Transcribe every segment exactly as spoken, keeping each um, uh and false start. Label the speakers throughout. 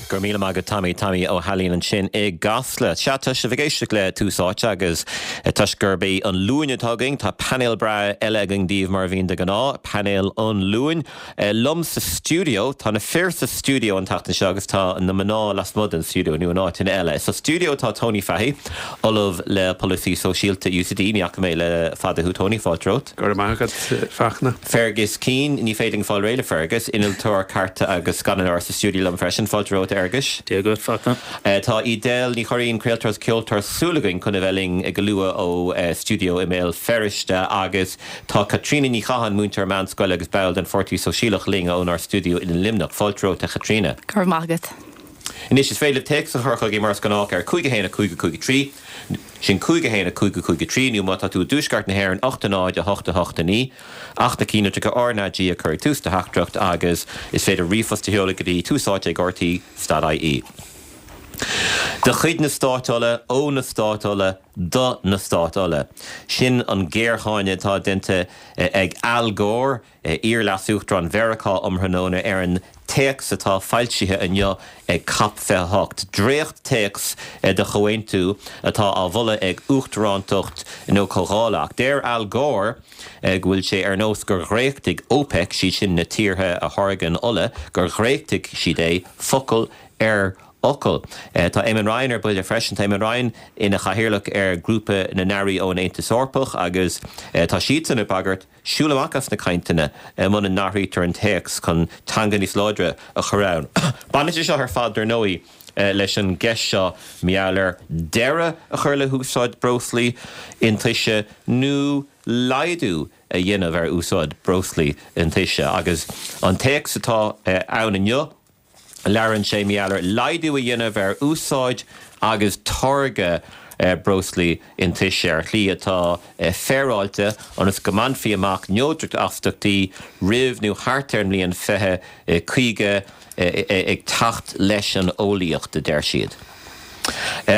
Speaker 1: Go raibh míle maith agat Tommy Tommy Ó hAilín ansin i gCasla. Sea tá sibh ag éisteacht le Tús Áite agus toisc gurb é an Luan atá againn tá painéal breá eile againn daoibh mar a bhíonn de ghnáth, painéal an Luain. Liom sa stiúideo tá na fir sa stiúideo an tseachtain seo agus tá na mná lasmuigh den stiúideo nó in áiteanna eile. Sa stiúideo tá Tony Fahey, Ollamh le Polasaí Sóisialta UCD ní fhaca mé le fada thú Tony fáilte romhat.
Speaker 2: Go raibh maith agat Fachtna.
Speaker 1: Fergus Keane ní féidir fáil réidh le Fergus, innealtóir cairte agus scannánóir sa stiúideo liom freisin fáilte romhat Fhergus.
Speaker 3: Dia duit Fachtna.
Speaker 1: Tá Edel Ní Churraoin craoltóir is ceoltóir súil againn chun a bheith linn go luath ó stiúideo i mBéal Feirste agus tá Caitríona Ní Chatháin múinteoir meánscoile agus ball den Pháirtí Sóisialach linn ónár stiúideo in Luimneach. Fáilte romhat a Chaitríona.
Speaker 4: Go raibh maith agat.
Speaker 1: Anois is féidir téacs a chur chugainn mar is gnách ar cúig a haon a cúig a cúig trí, sin cúig a haon a cúig a cúig trí nó má tá tú i dtuaisceart na hÉireann ocht a náid a hocht a hocht a naoi, ach na cinnlitreacha RnaG a chur ag tús do theachtaireacht agus is féidir ríomhphost a sheoladh go dtí túsáite ag RTÉ dot IE. De chuid na Stát Ola, ó na Stát Ola, do na Stát Ola. Sin an géarcháineadh atá déanta ag Al Gore, iar-leas-uachtarán Mheiriceá um thráthnóna ar an téacs atá foilsithe inniu ag COP fiche a hocht. Dréacht-téacs de chomhaontú atá á mholadh ag uachtarántacht na comhdhála. Ach deir Al Gore go bhfuil sé ar nós gur dhréachtaigh OPEC, siad sin na tíortha a tháirgeann ola, gur dhréachtaigh siad é focal ar fhocal. Tá Eamon Ryan ar buile freisin. Tá Eamon Ryan ina chathaoirleach ar Ghrúpa na nAirí ón Aontas Eorpach agus tá siadsan ag bagairt siúl amach as na cainteanna muna n-athraítear an téacs chun teanga níos láidre a chur ann. Baineann sé seo ar fad dar ndóigh leis an gceist seo mar gheall ar deireadh a chur le húsáid breoslaí iontaise nó laghdú a dhéanamh ar úsáid breoslaí iontaise agus an téacs atá ann inniu Labhrann sé mar gheall ar laghdú a dhéanamh ar úsáid agus táirgeadh breoslaí iontaise ar shlí atá féaráilte ionas go mbainfí amach neodracht astaíochtaí roimh nó thart ar an mbliain fiche caoga ag teacht leis an eolaíocht, a deir siad.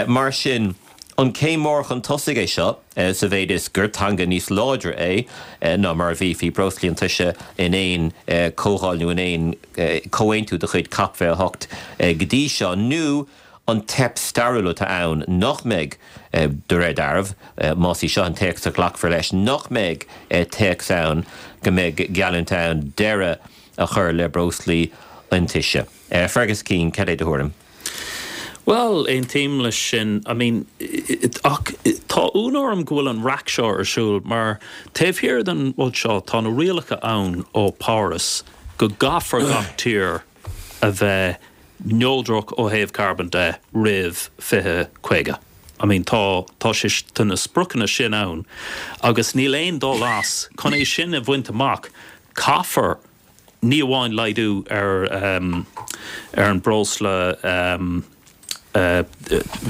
Speaker 1: Mar sin, an céim mór chun tosaigh é seo sa mhéid is gur teanga níos láidre é ná mar a bhí faoi breoslaí iontaise in aon comhdháil nó in aon comhaontú de chuid COP fiche a hocht go dtí seo, nó an teip stairiúil atá ann nach mbeidh, de réir dealraimh, más í seo an téacs a ghlacfar leis, nach mbeidh téacs ann go mbeidh geallúint ann deireadh a chur le breoslaí iontaise. Fergus Keane, cad é do thuairim?
Speaker 3: Bhuel, aontaím leis sin. I mean, ach tá ionadh orm go bhfuil an raic seo ar siúl mar taobh thiar den rud seo tá na rialacha ann ó Páras go gcaithfear gach tír a bheith neodrach ó thaobh carbón de roimh fiche caoga. I mean, tá tá sé tá na spriocanna sin ann agus níl aon dul as. Chun é sin a bhaint amach caithfear ní amháin laghdú ar ar an breosla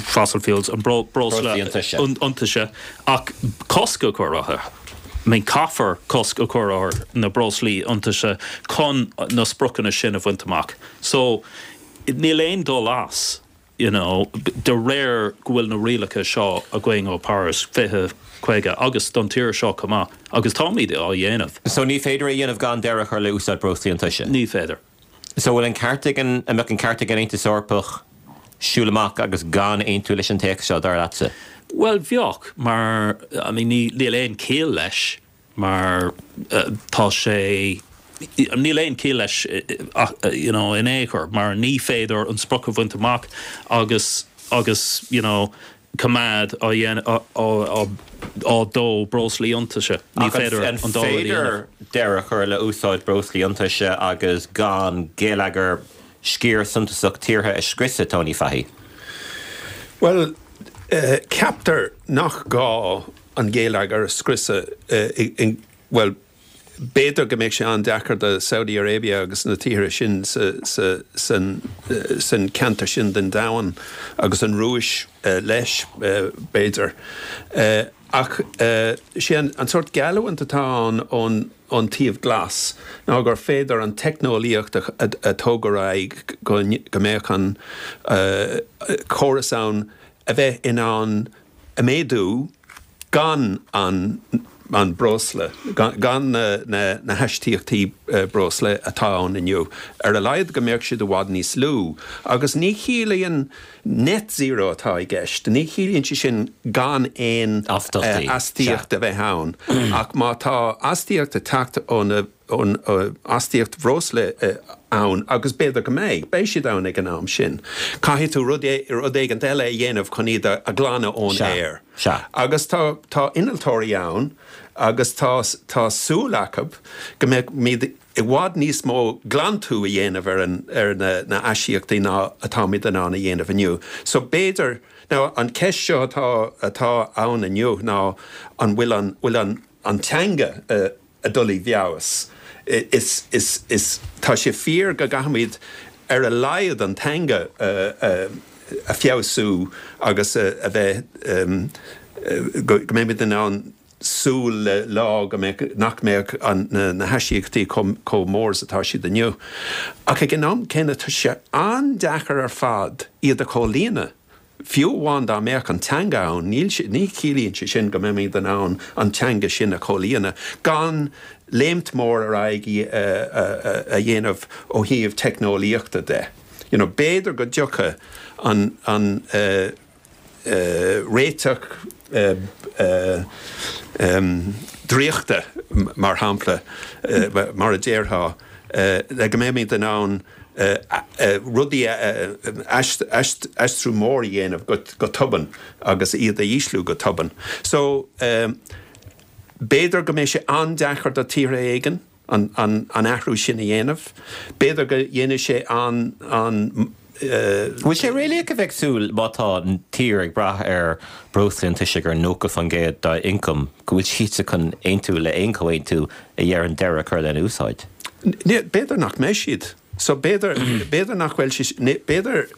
Speaker 3: fossil fuels, an breosla iontaise, ach cosc a chur orthu. I mean caithfear cosc a chur ar na breoslaí iontaise chun na spriocanna sin a bhaint amach. So níl aon dul as. you know, de réir go bhfuil na rialacha seo againn ó Paris fiche caoga agus don tír seo chomh maith agus táimid á dhéanamh.
Speaker 1: So ní féidir é a dhéanamh gan deireadh a chur le úsáid breoslaí iontaise?
Speaker 3: Ní féidir.
Speaker 1: So bhfuil an ceart ag an, an mbeadh an ceart ag an Aontas Eorpach siúl amach agus gan aontú leis an téacs seo, dar leatsa?
Speaker 3: Bhuel bheadh, mar I mean ní, níl aon chiall leis. mar tá sé, níl aon chiall leis you know in aon chor mar ní féidir an sprioc a bhaint amach agus agus you know coimeád á dhéanamh á á dó breoslaí iontaise. Ní féidir
Speaker 1: an dá rud a dhéanamh. An féidir deireadh a chur le úsáid breoslaí iontaise agus gan geilleagar sciar suntasach tíortha a scriosadh, Tony Fahey?
Speaker 2: Bhuel, ceaptar nach gá an geilleagar a scriosadh, bhuel, b'fhéidir go mbeadh sé an-deacair do Saudi Arabia agus na tíortha sin san ceantar sin den domhan, agus an Rúis leis, b'fhéidir. Ach sé an sórt geallúint atá ann ón taobh glas ná gur féidir an teicneolaíocht a tóg ar aghaidh go mbeadh an córas ann a bheith in ann a méadú gan an an breosla, gan na, na, na haistíochtaí breosla atá ann inniu. Ar a laghad go mbeadh siad i bhfad níos lú. Agus ní chiallaíonn net zero atá i gceist, ní chiallaíonn sé sin gan aon astaíocht a bheith ann. Ach má tá astaíocht ag teacht ó na ón astaíocht bhreosla ann agus b'fhéidir go mbeidh, beidh siad ann ag an am sin. Caithfidh tú rud rud éigin eile a dhéanamh chun iad a ghlanadh ón aer. Agus tá tá innealtóirí ann agus tá tá súil acu go mbeidh i bhfad níos mó glantú a dhéanamh ar an ar na na haistíochtaí ná atáimid in ann a dhéanamh inniu. So b'fhéidir now an ceist seo atá atá ann inniu ná an bhfuil an bhfuil an an teanga uh, ag dul i bhfeabhas. Is, is, is, tá sé fíor go gcaithfimid ar a laghad an teanga uh, uh, a feabhsú agus uh, a bheith um, uh, go, go mbeimid in ann súil le lá go mbeadh nach mbeadh an na, na haistíochtaí chomh mór is atá siad inniu. Ach ag an am céanna tá sé an-deacair ar fad iad a chomhlíonadh. Fiú amháin dá mbeadh an teanga ann, níl ní chiallaíonn sé sin go mbeimid in ann an teanga sin a chomhlíonadh, gan léimt mór ar aghaidh a dhéanamh ó thaobh teicneolaíochta de. You know, b'fhéidir go dtiocfaidh an, an uh, uh, réiteach uh, uh, um, draíochta mar shampla uh, mar a déarfá uh, le go mbeimid in ann rudaí aistriú mór a dhéanamh go tobann agus iad a ísliú go tobann. So um, b'fhéidir go mbeidh sé an-deacair do tíortha éigin an, an, an athrú sin a dhéanamh. B'fhéidir go dhéanfaidh sé an, an
Speaker 1: Bhfuil sé réalaíoch a bheith ag súil má tá an tír ag brath ar breosla iontaise ar nócha faoin gcéad dá ioncam go bhfuil siadsan chun aontú le aon chomhaontú a deireann deireadh a chur lena úsáid?
Speaker 2: B'fhéidir nach mbeidh siad. So b'fhéidir b'fhéidir nach bhfuil sé b'fhéidir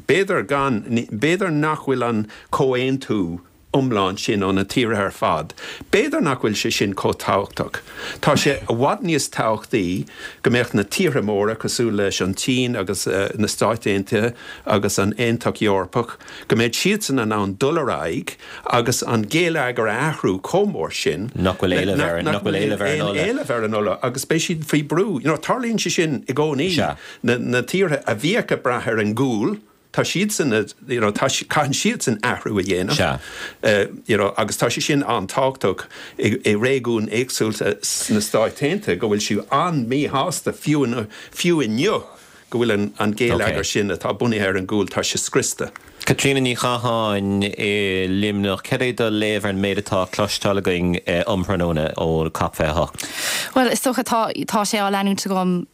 Speaker 2: b'fhéidir gan b'fhéidir nach bhfuil an comhaontú iomlán sin ó na tíortha ar fad. B'fhéidir nach bhfuil sé sin chomh tábhachtach. Tá sé i bhfad níos tábhachtaí go mbeadh na tíortha móra cosúil leis an tSín agus uh, na Stáit Aontaithe agus an Aontas Eorpach, go mbeidh siadsan in ann dul ar aghaidh agus an géilleagar a athrú chomh mór sin
Speaker 1: nach bhfuil éileamh ar nach bhfuil éileamh ar an ola.
Speaker 2: éileamh ar an ola agus beidh siad faoi brú. You know, tarlaíonn sé sin i gcónaí na, na tíortha a bhíodh ag brath ar an gcual, tá siadsan you know, tá caitheann siadsan athrú a dhéanamh uh, you know, agus tá sé sin an-tábhachtach i, i réigiún éagsúla sna Stáit Aontaithe go bhfuil siad an-mhíshásta fiú fiú inniu go bhfuil an, an géilleagar okay. sin atá bunaithe ar an gcual tá sé scriosta.
Speaker 1: Caitríona Ní Chatháin i Luimneach, cad é do léamh ar an méid atá cloisteáil againn um thráthnóna ó COP fiche hocht.
Speaker 4: Well is dócha tá tá sé á leanúint agam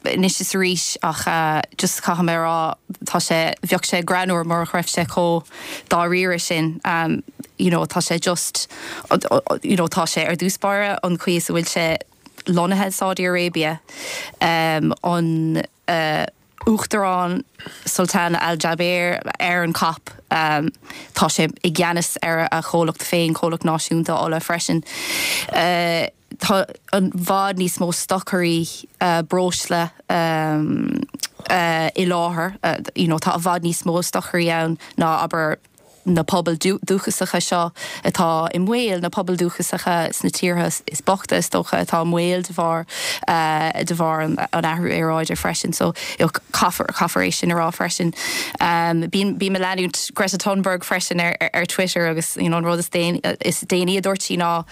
Speaker 4: anois is arís ach uh, just caithfidh mé rá tá sé bheadh sé greannmhar mura raibh sé chomh dáiríre sin um, you know, tá sé just you know, tá sé ar dtús báire an chaoi is a bhfuil sé lonnaithe Saudi Arabia um, an uh, Uachtarán Sultan Al Jaber ar an COP um, tá sé i gceannas ar a chomhlacht féin comhlacht náisiúnta ola freisin. Uh, tá i bhfad níos mó stocairí uh, breosla um, uh, i láthair uh, you know, tá i bhfad níos mó stocairí ann ná abair na pobail dúchasacha seo atá i mbaol na pobail dúchasacha sna tíortha is boichte is dócha atá i mbaol de bharr uh, de bharr an, an athrú aeráide freisin so caithfear caithfear é sin a rá freisin. Um, Bím ag leanúint Greta Thunberg freisin ar, ar, ar Twitter agus you know, an rud is is déanaí a dúirt sí ná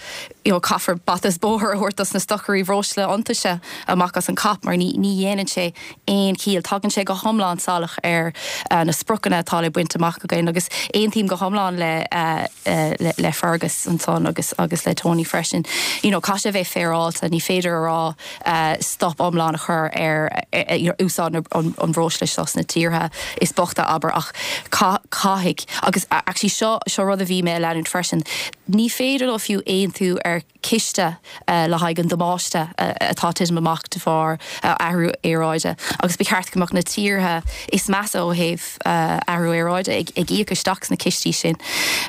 Speaker 4: you know, caithfear bata is bóthar a thabhairt dos na stocairí breosla iontaise amach as an COP mar ní ní dhéanann sé aon chiall tagann sé go hiomlán salach ar uh, na spriocanna atá le baint amach againn agus aontaím go hiomlán le, uh, uh, le, le Fergus ansan agus agus le Tony freisin. You know, caithfidh sé bheith féaráilte ní féidir a rá uh, stop iomlán a chur ar uh, you know, úsáid an, an bhreosla seo sna tíortha is boichte abair ach caithfidh agus actually seo seo rud a bhí mé leanúint freisin. Ní féidir leo fiú aontú ar ciste uh, le haghaidh an damáiste uh, atá titim amach de bharr uh, athrú aeráide agus ba cheart go mbeadh na tíortha is measa ó thaobh uh, athrú aeráide ag, ag íoc isteach sna cistí sin.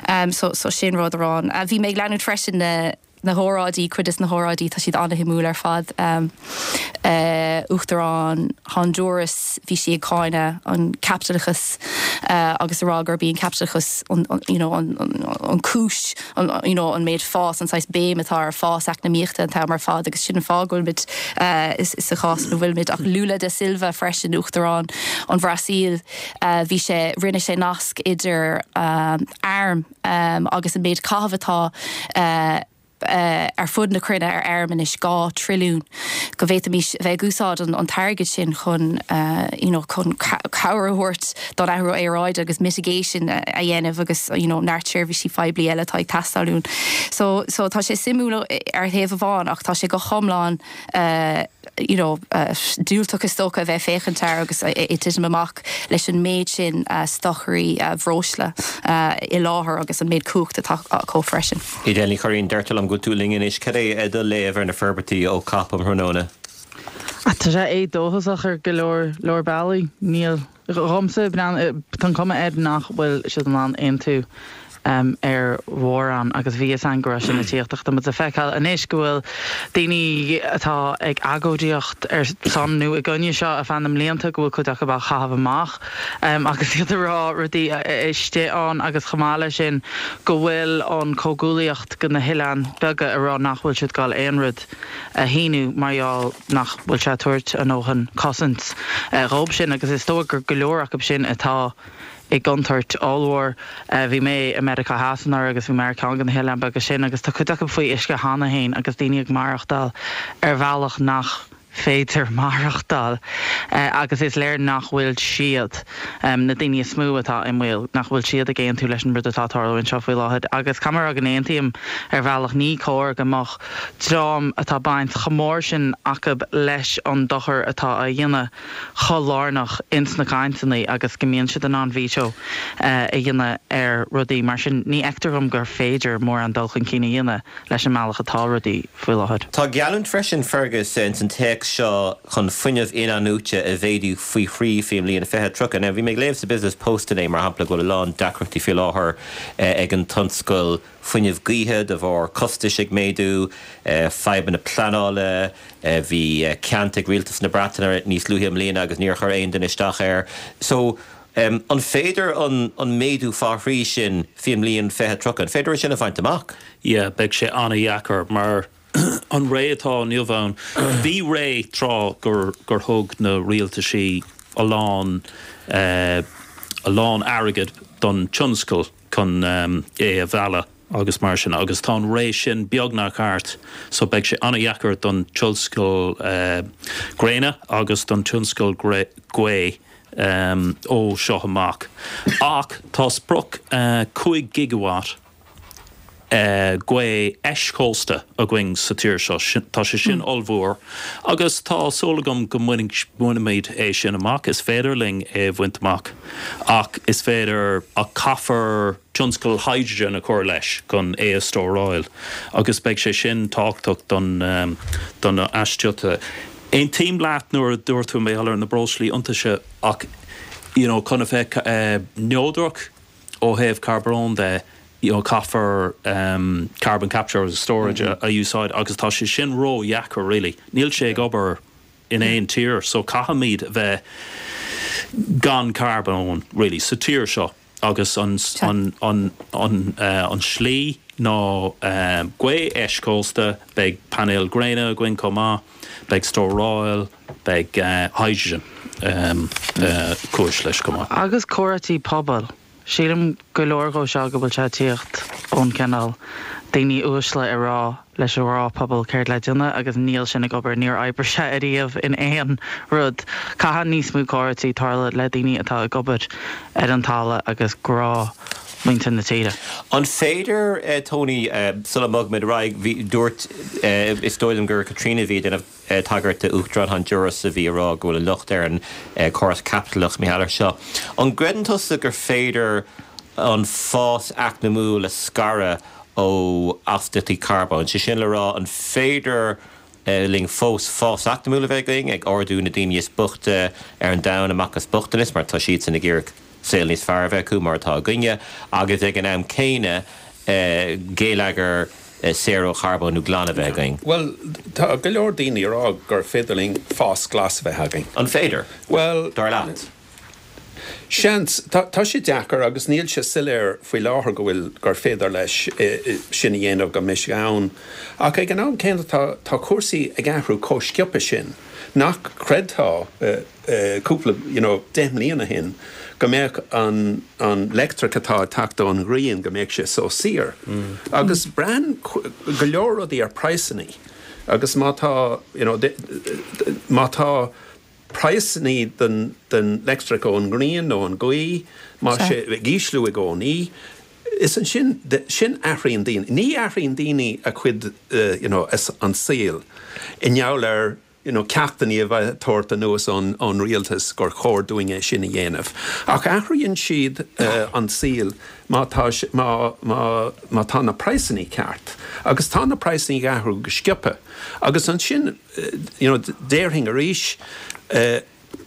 Speaker 4: Um, so, so sin rud amháin. Uh, bhí mé ag leanúint freisin na na hóráidí cuid des na hóráidí tá siad an-shuimiúil ar fad um, uh, Uachtarán Honduras bhí sí ag cáineadh an caipitleachas uh, agus a rá gurb í an caipitleachas an, an, you know, an, an, an cúis an, you know, an méid fás an saghas béim atá ar fás eacnamaíochta an t-am ar fad agus sin an fáth go bhfuilimid uh, is, is sa chás ina bhfuilimid ach Lula da Silva freisin Uachtarán an Bhrasaíl uh, bhí sé rinne sé nasc idir um, airm um, agus an méid caitheamh atá uh, uh, ar fud na cruinne ar airm anois dhá trilliún go bhféadfaimis bheith ag úsáid an, an t-airgead sin chun uh, you know, chun cabhair a thabhairt don athrú aeráide agus mitigation a dhéanamh agus you know, neart seirbhísí poiblí eile atá ag teastáil uainn. So, so tá sé suimiúil ar thaobh amháin ach tá sé go hiomlán uh, you know, uh, diúltach is dócha a bheith féachaint air agus é titim amach leis an méid sin uh, stocairí uh, breosla uh, i láthair agus an méid cumhacht atá acu freisin.
Speaker 1: Edel Ní Churraoin deirtear liom go bhfuil tú linn anois cad é do léamh ar na forbairtí ó COP um thráthnóna.
Speaker 5: Tá sé éadóchasach ar go leor leor bealaí níl dhomsa tá cuma air nach bhfuil siad in ann aontú um, ar mhórán agus bhí an go raibh sin ag tíocht ach tá muid ag feiceáil anois go bhfuil daoine atá ag agóidíocht ar son nó i gcoinne seo ar feadh na mblianta go bhfuil cuid acu á chaitheamh amach um, agus iad ag rá rudaí istigh ann agus chomh maith leis sin go bhfuil an comhghuaillíocht go na hoileáin beaga ag rá nach bhfuil siad ag gabháil aon rud a shíniú mar gheall nach bhfuil sé ag tabhairt a ndóthain cosaint uh, dhóibh sin agus is dóigh gur go leor acu sin atá i gcontúirt ollmhór bhí mé i Meiriceá Theas anuraidh agus bhí mé ar ceann de na hoileáin beaga sin agus tá cuid acu faoi uisce cheana féin agus daoine ag maireachtáil ar bhealach nach féidir maireachtáil agus is léir nach bhfuil siad na daoine is mó atá i mbaol nach bhfuil siad ag aontú leis an rud atá ag tarlú anseo faoi láthair agus caithfidh mé a rá go n-aontaím ar bhealach ní cóir go mbeadh dream atá baint chomh mór sin acu leis an dochar atá á dhéanamh chomh lárnach ins na cainteanna agus go mbíonn siad in ann veto a dhéanamh ar rudaí mar sin ní fheictear dom gur féidir mórán dul chun cinn a dhéanamh leis an mbealach atá rudaí faoi láthair.
Speaker 1: Tá geallúint freisin Fergus ins an téacs seo chun fuinneamh in-athnuaite a mhéadú faoi thrí faoin mbliain fiche tríocha. Now bhí mé ag léamh sa Business Post inné mar shampla go bhfuil a lán deacrachtaí faoi láthair ag an tionscal fuinneamh gaoithe de bharr costais ag méadú, fadhbanna pleanála, bhí ceant ag rialtas na Breataine níos luaithe i mbliana agus níor chuir aon duine isteach air. So um, an féidir an, an méadú fá thrí sin faoin mbliain fiche tríocha, an féidir sin a bhaint amach?
Speaker 3: Yeah, beidh sé an-deacair mar an ré atá inniu ann. Bhí ré tráth gur, gur thug na rialtaisí a lán uh, a lán airgead don tionscal chun um, é a mhealladh agus mar sin agus tá an ré sin beagnach thart so beidh sé an-deacair don tionscal uh, gréine agus don tionscal gaoithe um, ó seo amach. Ach tá sprioc uh, cúig gigawatt uh, gaoth eischósta againn sa tír seo tá sé sin mm. ollmhór agus tá súil agam go mbainfimid é sin amach is féidir linn é a bhaint amach ach is féidir a caithfear tionscal hydrogen a chur leis chun é a stóráil agus beidh sé sin tábhachtach don um, don aistriú. Aontaím leat nuair a dúirt tú mé ar na breoslaí iontaise ach you know, chun a bheith uh, neodrach ó thaobh carbón de you know, caithfear um, carbon capture as storage mm -hmm. a, a úsáid agus tá sé sin ró-dheacair really. Níl sé ag obair in aon tír, so caithfimid bheith gan carbón really sa tír seo agus an, an, an, an, uh, an slí ná um, gaoth eischósta beidh painéil gréine againn chomh maith, beidh stóráil, beidh uh, hydrogen um, uh, cúis leis chomh maith.
Speaker 5: Agus comhráití pobail. Sílim go leor de seo go bhfuil sé ag tíocht ón cineál daoine uaisle ag rá leis an ngnáthphobal céard le déanamh agus níl sin ag obair níor oibrigh sé ariamh in aon rud. Caithfidh níos mó comhráití tarlú le daoine atá ag obair ar an talamh agus gnáthmhuintir na tíre.
Speaker 1: An féidir eh, Tony eh, sula mbogfaimid ar aghaidh bhí dúirt eh, is dóigh liom gur Katrina bhí ag tagairt d'Uachtarán Honduras a bhí ag rá go bhfuil an locht ar an córas caipitleach mar gheall air seo. An gcreideann tusa gur féidir an fás eacnamúil a scaradh ó astaíochtaí carbóin. Sé sin le rá an féidir linn fós fás eacnamúil a bheith againn ag ardú na daoine is boichte ar an domhan amach as bochtanas mar tá siadsan ag iarraidh saol níos fearr a bheith acu mar atá againne agus ag an am céanna geilleagar saor ó charbón nó glan a bheith againn?
Speaker 2: Well, tá go leor daoine ag rá gur féidir linn fás glas a bheith againn.
Speaker 1: An féidir?
Speaker 2: Well,
Speaker 1: dar leat.
Speaker 2: Seans, tá tá sé deacair agus níl sé soiléir faoi láthair go bhfuil gur féidir leis sin a dhéanamh go mbeidh sé ann. Ach ag an am céanna tá tá cúrsaí ag athrú chomh sciobtha sin nach gcreidfeá cúpla you know, deich mbliana ó shin go mbeadh an an leictreach atá ag teacht ón ngrian go mbeadh sé so saor. Agus braitheann go leor rudaí ar praghsanna agus má tá you know, má tá praghsanna den den leictreach ón ngrian nó an ghaoth má sé ag ísliú i gcónaí, is ansin sin athraíonn daoine. Ní athraíonn daoine a cuid uh, you know, an saol i ngeall ar you know, ceachtanna a bheith tabhairt anuas ón ón rialtas gur chóir dúinn é sin a dhéanamh. Ach athraíonn siad uh, an saol má tá má má má tá na praghsanna ceart. Agus tá na praghsanna ag athrú go sciobtha. Agus ansin uh, you know, déarfainn arís uh,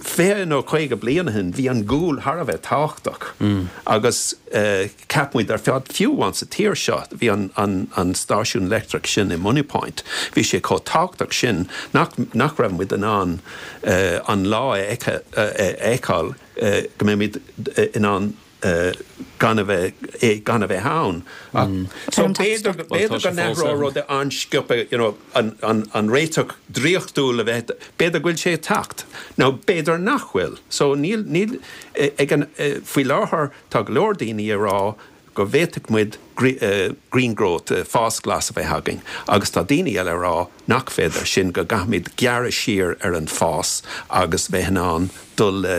Speaker 2: fiche nó caoga bliain ó shin bhí an gual thar a bheith tábhachtach mm. agus uh, cheap muid ar fad fiú amháin sa tír seo bhí an, an, an stáisiún leictreach sin i Moneypoint. Bhí sé chomh tábhachtach sin nach, nach raibh muid in ann uh, an lá a fheiceáil uh, go mbeimid in ann uh, gan a bheith gan a bheith ann. Mm. So b'fhéidir b'fhéidir go n-athródh rud an-sciobtha you know, an, an, an réiteach draíochtúil a bheith b'fhéidir go bhfuil sé teacht. Nó b'fhéidir nach bhfuil. So níl níl ag an faoi láthair tá go leor daoine ag rá go bhféadfadh muid green growth fás glas a bheith againn. agus tá daoine eile ag rá nach féidir sin go gcaithfimid gearradh siar ar an fás agus bheith in ann dul le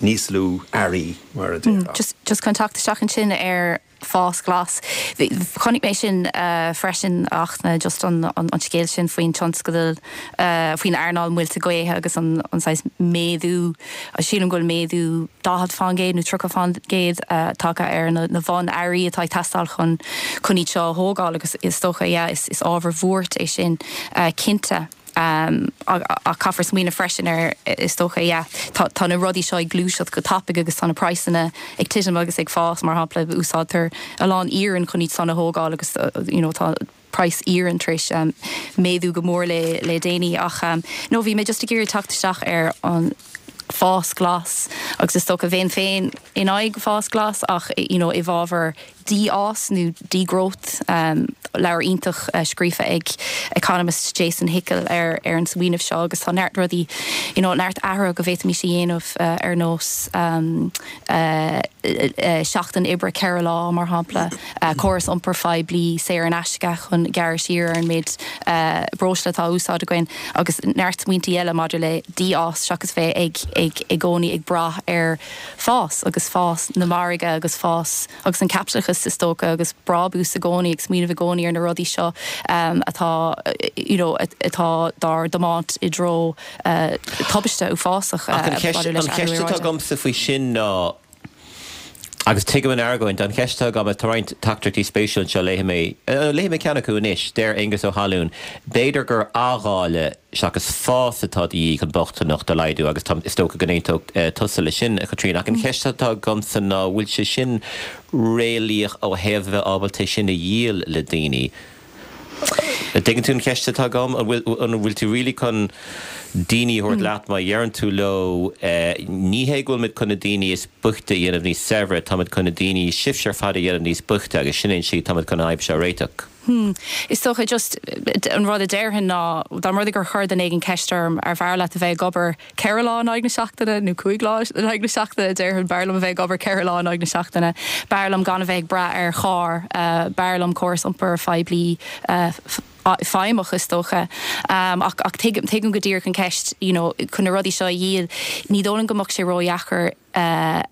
Speaker 2: níos lú earraí mar a déarfá.
Speaker 4: Just, just chun teacht isteach ansin ar fás glas. Chonaic mé sin uh, freisin ach na just an, an, an scéal sin faoin tionscadal uh, faoin earnáil muilte gaoithe agus an, an saghas méadú sílim go bhfuil méadú daichead faoin gcéad nó tríocha faoin gcéad uh, tagtha ar na, na bhunearraí atá ag teastáil chun chun iad seo a thógáil agus is dócha yeah, is, is ábhar buartha é sin uh, cinnte. Um, a, a caithfear smaoineamh freisin ar is dócha yeah, tá, tá na rudaí seo ag gluaiseacht go tapaidh agus tá na praghsanna ag titim agus ag fás mar shampla úsáidtear a lán iarann chun iad san a thógáil agus uh, you know, tá praghas iarainn tar éis um, méadú go mór le le déanaí ach um, no bhí mé just ag iarraidh teacht isteach ar an fás glas agus is dócha bheinn féin in aghaidh fás glas ach you know, i bhfabhar dífhás nó degrowth um, leabhar iontach uh, scríofa ag economist Jason Hickel ar ar an smaoineamh seo agus tá neart rudaí you know, neart athruithe go bhféadfaimis a dhéanamh uh, ar nós um, uh, uh, seachtain oibre ceithre lá mar shampla uh, córas iompair phoiblí saor in aisce chun gearradh siar ar an méid uh, breosla atá úsáid againn agus neart smaointe eile maidir le dífhás seachas bheith ag ag i gcónaí ag brath ar fás agus fás na margaí agus fás agus an caipitleachas is dócha agus brabús i gcónaí ag smaoineamh i gcónaí ar na rudaí seo um, atá you know, atá dár dtiomáint i dtreo uh, tubaiste uafásach
Speaker 1: Ach an cheist an cheist atá agamsa faoi sin ná agus tuigim an argóint an cheist atá agam tá roinnt teachtaireachtaí spéisiúil seo léifidh mé léifidh mé ceann acu anois deir Angus Ó hAlún b'fhéidir gur athdháileadh seachas fás atá de dhíth chun bochtaineacht a laghdú agus tá is dócha go n-aontódh tusa leis sin a Chaitríona ach an cheist atá agamsa ná bhfuil sé sin réalaíoch ó thaobh bheith ábalta sin a dhíol le daoine. Tuigeann tú an cheist atá agam an bhfuil tú really chun daoine a thabhairt leat má dheireann tú leo ní hé go bhfuil muid chun na daoine is boichte a dhéanamh níos saibhre, táimid chun na daoine sibhse ar fad a dhéanamh níos boichte agus sin é an tslí táimid chun an fhadhb seo a réiteach.
Speaker 4: Hmm. Is dócha just an rud a déarfainn ná dá mba rud é gur chuir duine éigin ceist orm ar bhfearr leat a bheith ag obair ceithre lá in aghaidh na seachtaine nó cúig lá in aghaidh na seachtaine déarfainn b'fhearr liom a bheith ag obair ceithre lá in aghaidh na seachtaine. B'fhearr liom gan a bheith ag brath ar charr, uh, b'fhearr liom córas iompair phoiblí uh, feidhmeach is dócha. Um, ach ach tuigim tuigim go díreach an ceist you know, chun na rudaí seo a dhíol ní dóigh liom go mbeadh sé ródheacair uh,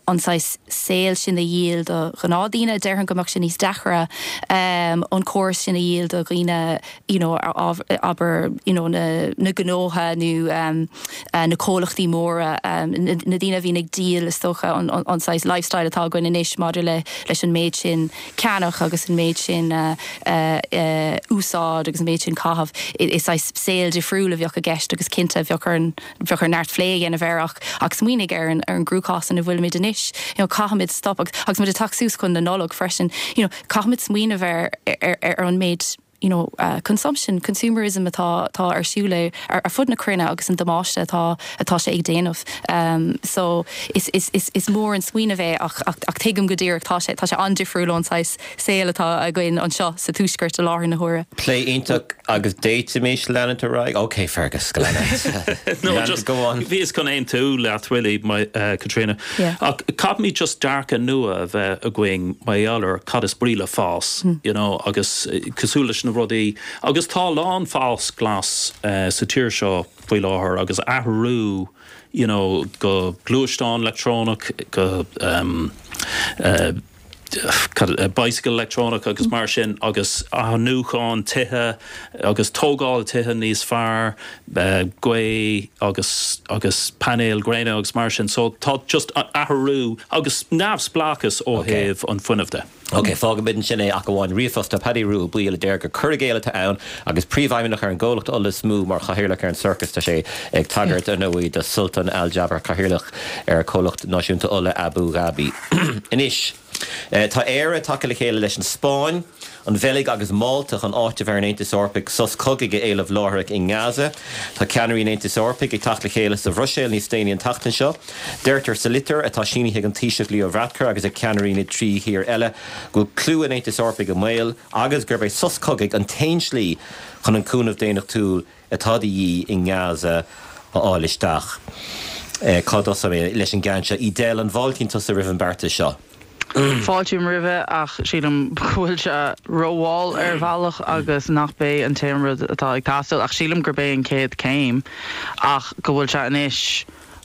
Speaker 4: an saghas saol sin a dhíol do ghnáthdhaoine déarfainn go mbeadh sé níos deacra um, an córas sin a dhíol do dhaoine you know, abair you know, na, na gnótha nó um, uh, na comhlachtaí móra um, na, na daoine a bhíonn ag díol is dócha an, an, an saghas lifestyle atá againn anois maidir le leis an méid sin ceannach agus an méid sin uh, uh, uh, úsáid agus an méid sin caitheamh is saghas saol difriúil a bheadh i gceist agus cinnte bheadh ar bheadh ar neart plé a dhéanamh air ach ach smaoinigh ar an ar an gcruachás ina bhfuilimid anois you know, caithfimid stop agus agus muid ag teacht suas chun na Nollag freisin you know, caithfimid smaoineamh ar ar, ar an méid you know, uh, consumption, consumerism atá tá ar siúl ar, ar fud na cruinne agus an damáiste atá atá sé ag déanamh. Um, so is, is, is, is mór an smaoineamh é ach, ach, ach tuigim go díreach tá sé tá sé an-difriúil ón saghas saol atá againn anseo sa tuaisceart i láthair na huaire.
Speaker 1: Plé iontach agus d'fhéadfaimis leanúint ar aghaidh. Ok Fergus go
Speaker 3: No, just
Speaker 1: go on.
Speaker 3: Bhíos chun aontú leat really my, uh, Katrina.
Speaker 4: Yeah.
Speaker 3: Ach caithfimid just dearcadh nua a bheith againn mar gheall ar cad is brí le fás, mm. you know, agus eh, cosúil leis na rudaí agus tá lán fás glas uh, sa tír seo faoi láthair agus athrú you know, go gluaisteán leictreonach go um, uh, bicycle leictreonach agus mar sin agus athnuachan tithe agus tógáil tithe níos fearr uh, gaoth agus agus painéil gréine agus mar sin so tá just athrú agus neamhspleáchas ó
Speaker 1: Okay.
Speaker 3: thaobh an fuinnimh de.
Speaker 1: Ok, fágfaimid sin é ach amháin ríomhphost Paddy Rua Buíle deir gur cur i gcéill atá ann agus príomhfheidhmeannach ar an gcomhlacht ola is mó mar chathaoirleach ar an circus tá sé ag tagairt ar ndóigh do Sultan Al Jaber cathaoirleach ar comhlacht náisiúnta ola Abu Dhabi. Anois, Eh, Tá Éire tagtha le chéile leis an Spáinn, an Bheilg agus Málta chun áiteamh ar an Aontas Eorpach sos cogaidh a éileamh láithreach i nGaza. Tá ceannairí an Aontais Eorpaigh ag teacht le chéile sa Bhruiséil níos déanaí an tseachtain seo. Deirtear sa litir atá sínithe ag an Taoiseach Leo Varadkar agus ag ceannairí na trí thír eile go bhfuil clú an Aontais Eorpaigh i mbaol agus gurb é sos cogaidh an t-aon slí chun an cúnamh daonnachtúil atá de dhíth i nGaza a fháil isteach. Eh, Cá dtosóidh mé leis an gceann seo Edel an bhfáiltíonn tusa roimh an beartas seo.
Speaker 5: Fáiltím roimhe ach sílim go bhfuil sé rómhall ar bhealach agus nach b'é an t-aon rud atá ag teastáil ach sílim gur b'é an chéad céim ach go bhfuil sé anois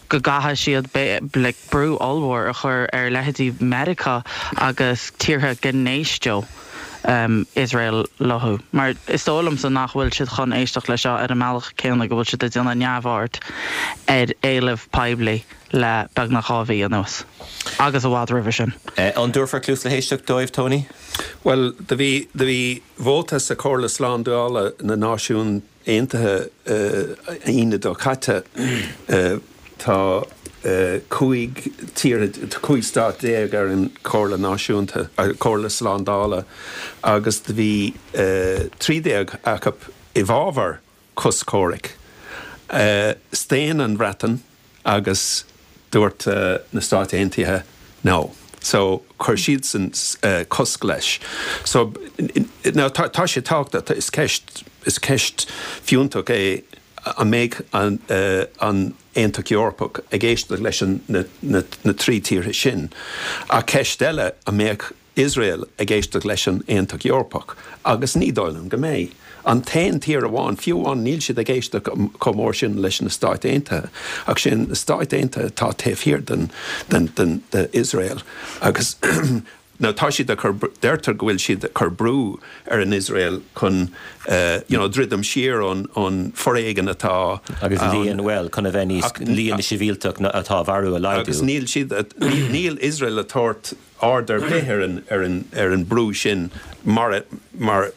Speaker 5: go gcaithfidh siad le brú ollmhór a chur ar leithéidí Meiriceá agus tíortha go n-éisteodh um, Israel leo. Mar is dóigh liomsa nach bhfuil siad chun éisteacht leis seo ar an mbealach céanna go bhfuil siad ag déanamh neamhaird ar éileamh poiblí le beagnach dhá mhí anuas. Agus i bhfad roimhe sin.
Speaker 1: Eh, an dtabharfar cluas le héisteacht dóibh Tony?
Speaker 2: Well, do bhí do bhí vóta sa Chomhairle Slándála na Náisiún Aontaithe Aoine seo caite tá cúig tír cúig stát déag ar an Chomhairle Náisiúnta Comhairle Slándála agus do bhí trí déag acu i bhfabhar cos comhraic. Staon an Bhreatain agus dúirt uh, na Stáit Aontaithe no. So chuir siad san uh, cosc leis. So now tá tá sé tábhachtach is ceist is ceist fiúntach é an mbeidh an, uh, an Aontas Eorpach ag éisteacht leis an na, na, na trí tíortha sin. A ceist eile an mbeidh Israel ag éisteacht leis an Aontas Eorpach, agus ní dóigh liom go mbeidh. An t-aon tír amháin fiú an níl siad ag éisteacht chomh mór sin leis na Stáit Aontaithe, ach sin na Stáit Aontaithe tá taobh thiar den, den, den, de Israel. Agus Now tá siad chur deirtear go bhfuil siad chur brú ar an Israel chun uh, you know, druidim siar an, an foréigean atá
Speaker 1: agus líon well chun a bheith níos líon na sibhialtach atá marbh a laghdú.
Speaker 2: Agus níl siad níl Israel ag tabhairt aird ar bith ar an ar an ar an brú sin mar mar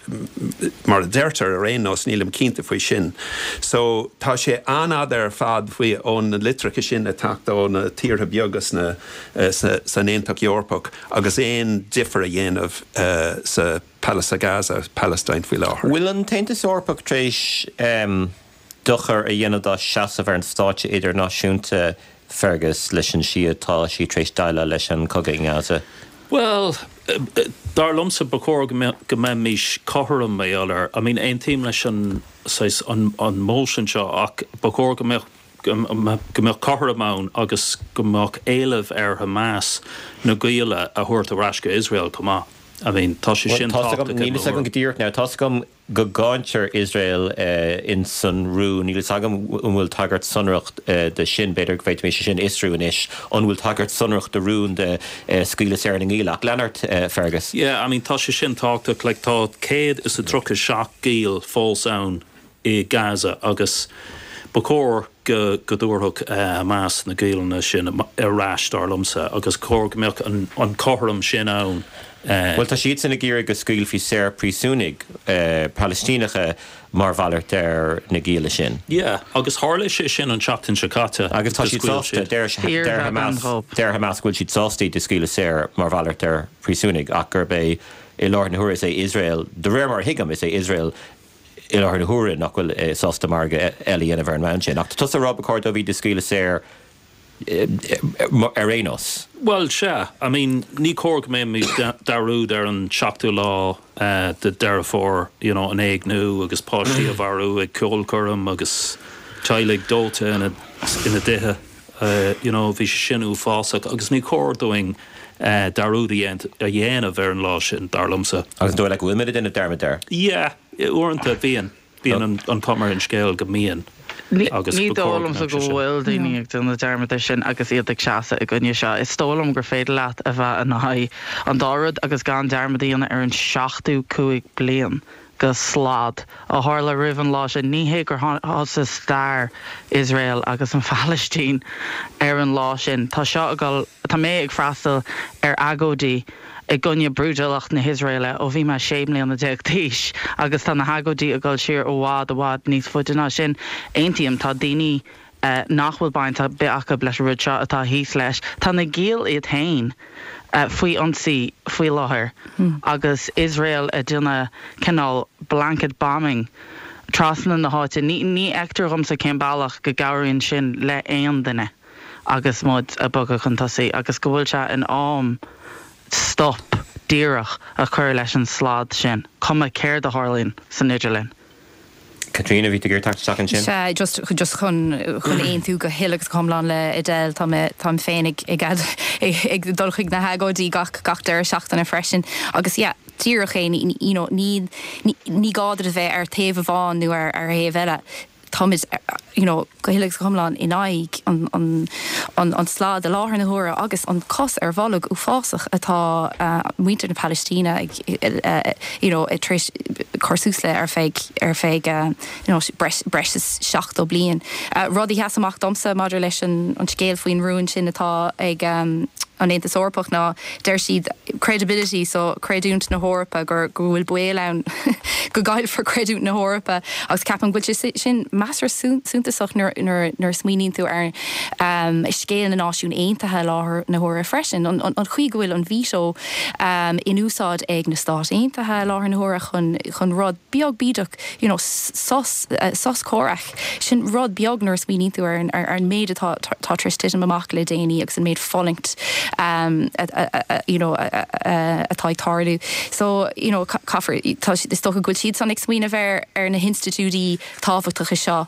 Speaker 2: mar a deirtear ar aon nós nílim cinnte faoi sin. So tá sé an-fhada ar fad faoi ón na litreacha sin ag teacht ó na tíortha beaga na uh, san Aontas Eorpach agus aon difear a dhéanamh uh, sa Palace Gaza Palestine faoi láthair.
Speaker 1: Bhfuil an tAontas Eorpach tar éis um, dochar a dhéanamh dá seasamh ar an stáitse idirnáisiúnta Fergus leis an slí atá sí tar éis déileáil leis an cogadh i nGaza.
Speaker 3: Well, dar liomsa ba chóir go mbeimis cothrom mé eile. I mean aontaím leis an an, an motion seo ach ba chóir go mbeadh go mbeadh cothrom ann agus go mbeadh éileamh ar Hamas na gialla a thabhairt ar ais go Israel chomh maith. I mean tá sé sin
Speaker 1: Níl agam go díreach now tá agam go gcáintear Israel uh, in san rún níl agam an bhfuil tagairt sonrach uh, de sin b'fhéidir go bhféadfaimis sin a fhiosrú anois an bhfuil tagairt sonrach de rún de uh, scaoileadh saor na ngiall ach lean ort uh, Fergus.
Speaker 3: Yeah, I mean tá sé sin tábhachtach like, tá céad is a tríocha seacht giall fós ann i Gaza agus ba chóir go go dtabharfadh uh, Hamas na giallanna sin ar ais dar liomsa agus chóir go mbeadh an, an cothrom sin ann. Uh,
Speaker 1: Well tá siad san ag iarraidh go scaoilfí saor príosúnaigh uh, Palaistíneacha mar mhalairt ar na gialla sin.
Speaker 3: Yeah, agus tharla sé sin an tseachtain seo caite.
Speaker 1: Agus tá siad sásta deir Hamas deir Hamas bhfuil siad sásta iad a scaoileadh saor mar mhalairt ar príosúnaigh ach gurb é i láthair na huaire is é Iosrael, de réir mar a thuigim, is é Iosrael i láthair na huaire nach bhfuil sásta margadh eile a dhéanamh ar an mbonn sin. Ach tá tusa ag rá ba chóir dóibh iad a scaoileadh saor ar aon nós.
Speaker 3: Bhuel, sea. I mean, ní cóir go mbeimid dearúd ar an seachtú lá de Deireadh Fómhair, you know, an éigniú agus páistí a mharú ag ceolchoirm agus teaghlaigh dóite ina ina dtithe. You know, bhí sé sin uafásach agus ní cóir dúinn dearúd a dhéanamh ar an lá sin, dar liomsa.
Speaker 1: Agus an dóigh leat go bhfuil muid ag déanamh dearmad air?
Speaker 3: Yeah, uaireanta bíonn. Bíonn an chuma ar an scéal go mbíonn.
Speaker 5: Agus ní dóigh liomsa go bhfuil daoine ag déanamh dearmad air sin agus iad ag seasamh i gcoinne seo. Is dóigh liom gur féidir leat a bheith in aghaidh an dá rud agus gan dearmad a dhéanamh ar an seachtú cúig bliain de slad a tharla roimh an lá sin. Ní hé gur thosaigh stair Iosrael agus an Phalaistín ar an lá sin. Tá seo ag dul, tá mé ag freastal ar agóidí i gcoinne brúidiúlacht na hIosraeile ó bhí mé sé mbliana déag d'aois agus tá na hagóidí ag dul siar i bhfad i bhfad níos faide ná sin. Aontaím, tá daoine nach bhfuil baint ar bith acu leis an rud seo atá thíos leis. Tá na giall iad féin faoi ionsaí faoi láthair agus Iosrael ag déanamh cineál blanket bombing trasna na háite. Ní ní fheictear dhomsa cén bealach go gcabhraíonn sin le aon duine agus muid ag bogadh chun tosaigh agus go bhfuil sé in am stop díreach a chur leis an slad sin, cuma céard a tharlaíonn san idirlinn.
Speaker 1: Caitríona, bhí tú ag iarraidh teacht isteach ansin?
Speaker 4: Sea, just just chun chun aontú go huile agus go hiomlán le Edel, tá mé táim féin ag ag ag dul chuig na hagóidí gach gach deireadh seachtaine freisin agus yeah, díreach é you know, ní ní gá duit a bheith ar taobh amháin nó ar ar thaobh eile. Táimid you know, go huile agus go hiomlán in aghaidh an, an, an, an slad i láthair na huaire agus an cos ar bholg uafásach atá uh, muintir na Palaistíne ag, uh, you know, tar éis cur suas le ar feadh ar feadh uh, you know, breis, breis is seachtó bliain. Uh, rud a sheas amach domsa maidir leis an, an scéal faoin rún sin atá ag um, an Aontas Eorpach ná deir siad credibility so creidiúint na hEorpa gur go bhfuil baol ann go gcaillfear creidiúint na hEorpa agus ceapaim go bhfuil sé sin measartha suntasach nuair nuair smaoiníonn tú ar um, scéal na Náisiún Aontaithe láthair na huaire freisin an, an, an chaoi go bhfuil an veto um, in úsáid ag na Stáit Aontaithe láthair na huaire chun chun rud beag bídeach you know, sos, uh, sos comhraic sin rud beag nuair smaoiníonn tú ar, ar, ar an méid atá tá tar éis titim amach le déanaí agus an méid fulaingt um, you know, atá ag tarlú. So you know, caithfear is dócha go bhfuil siad san ag smaoineamh ar ar na hinstitiúidí tábhachtacha seo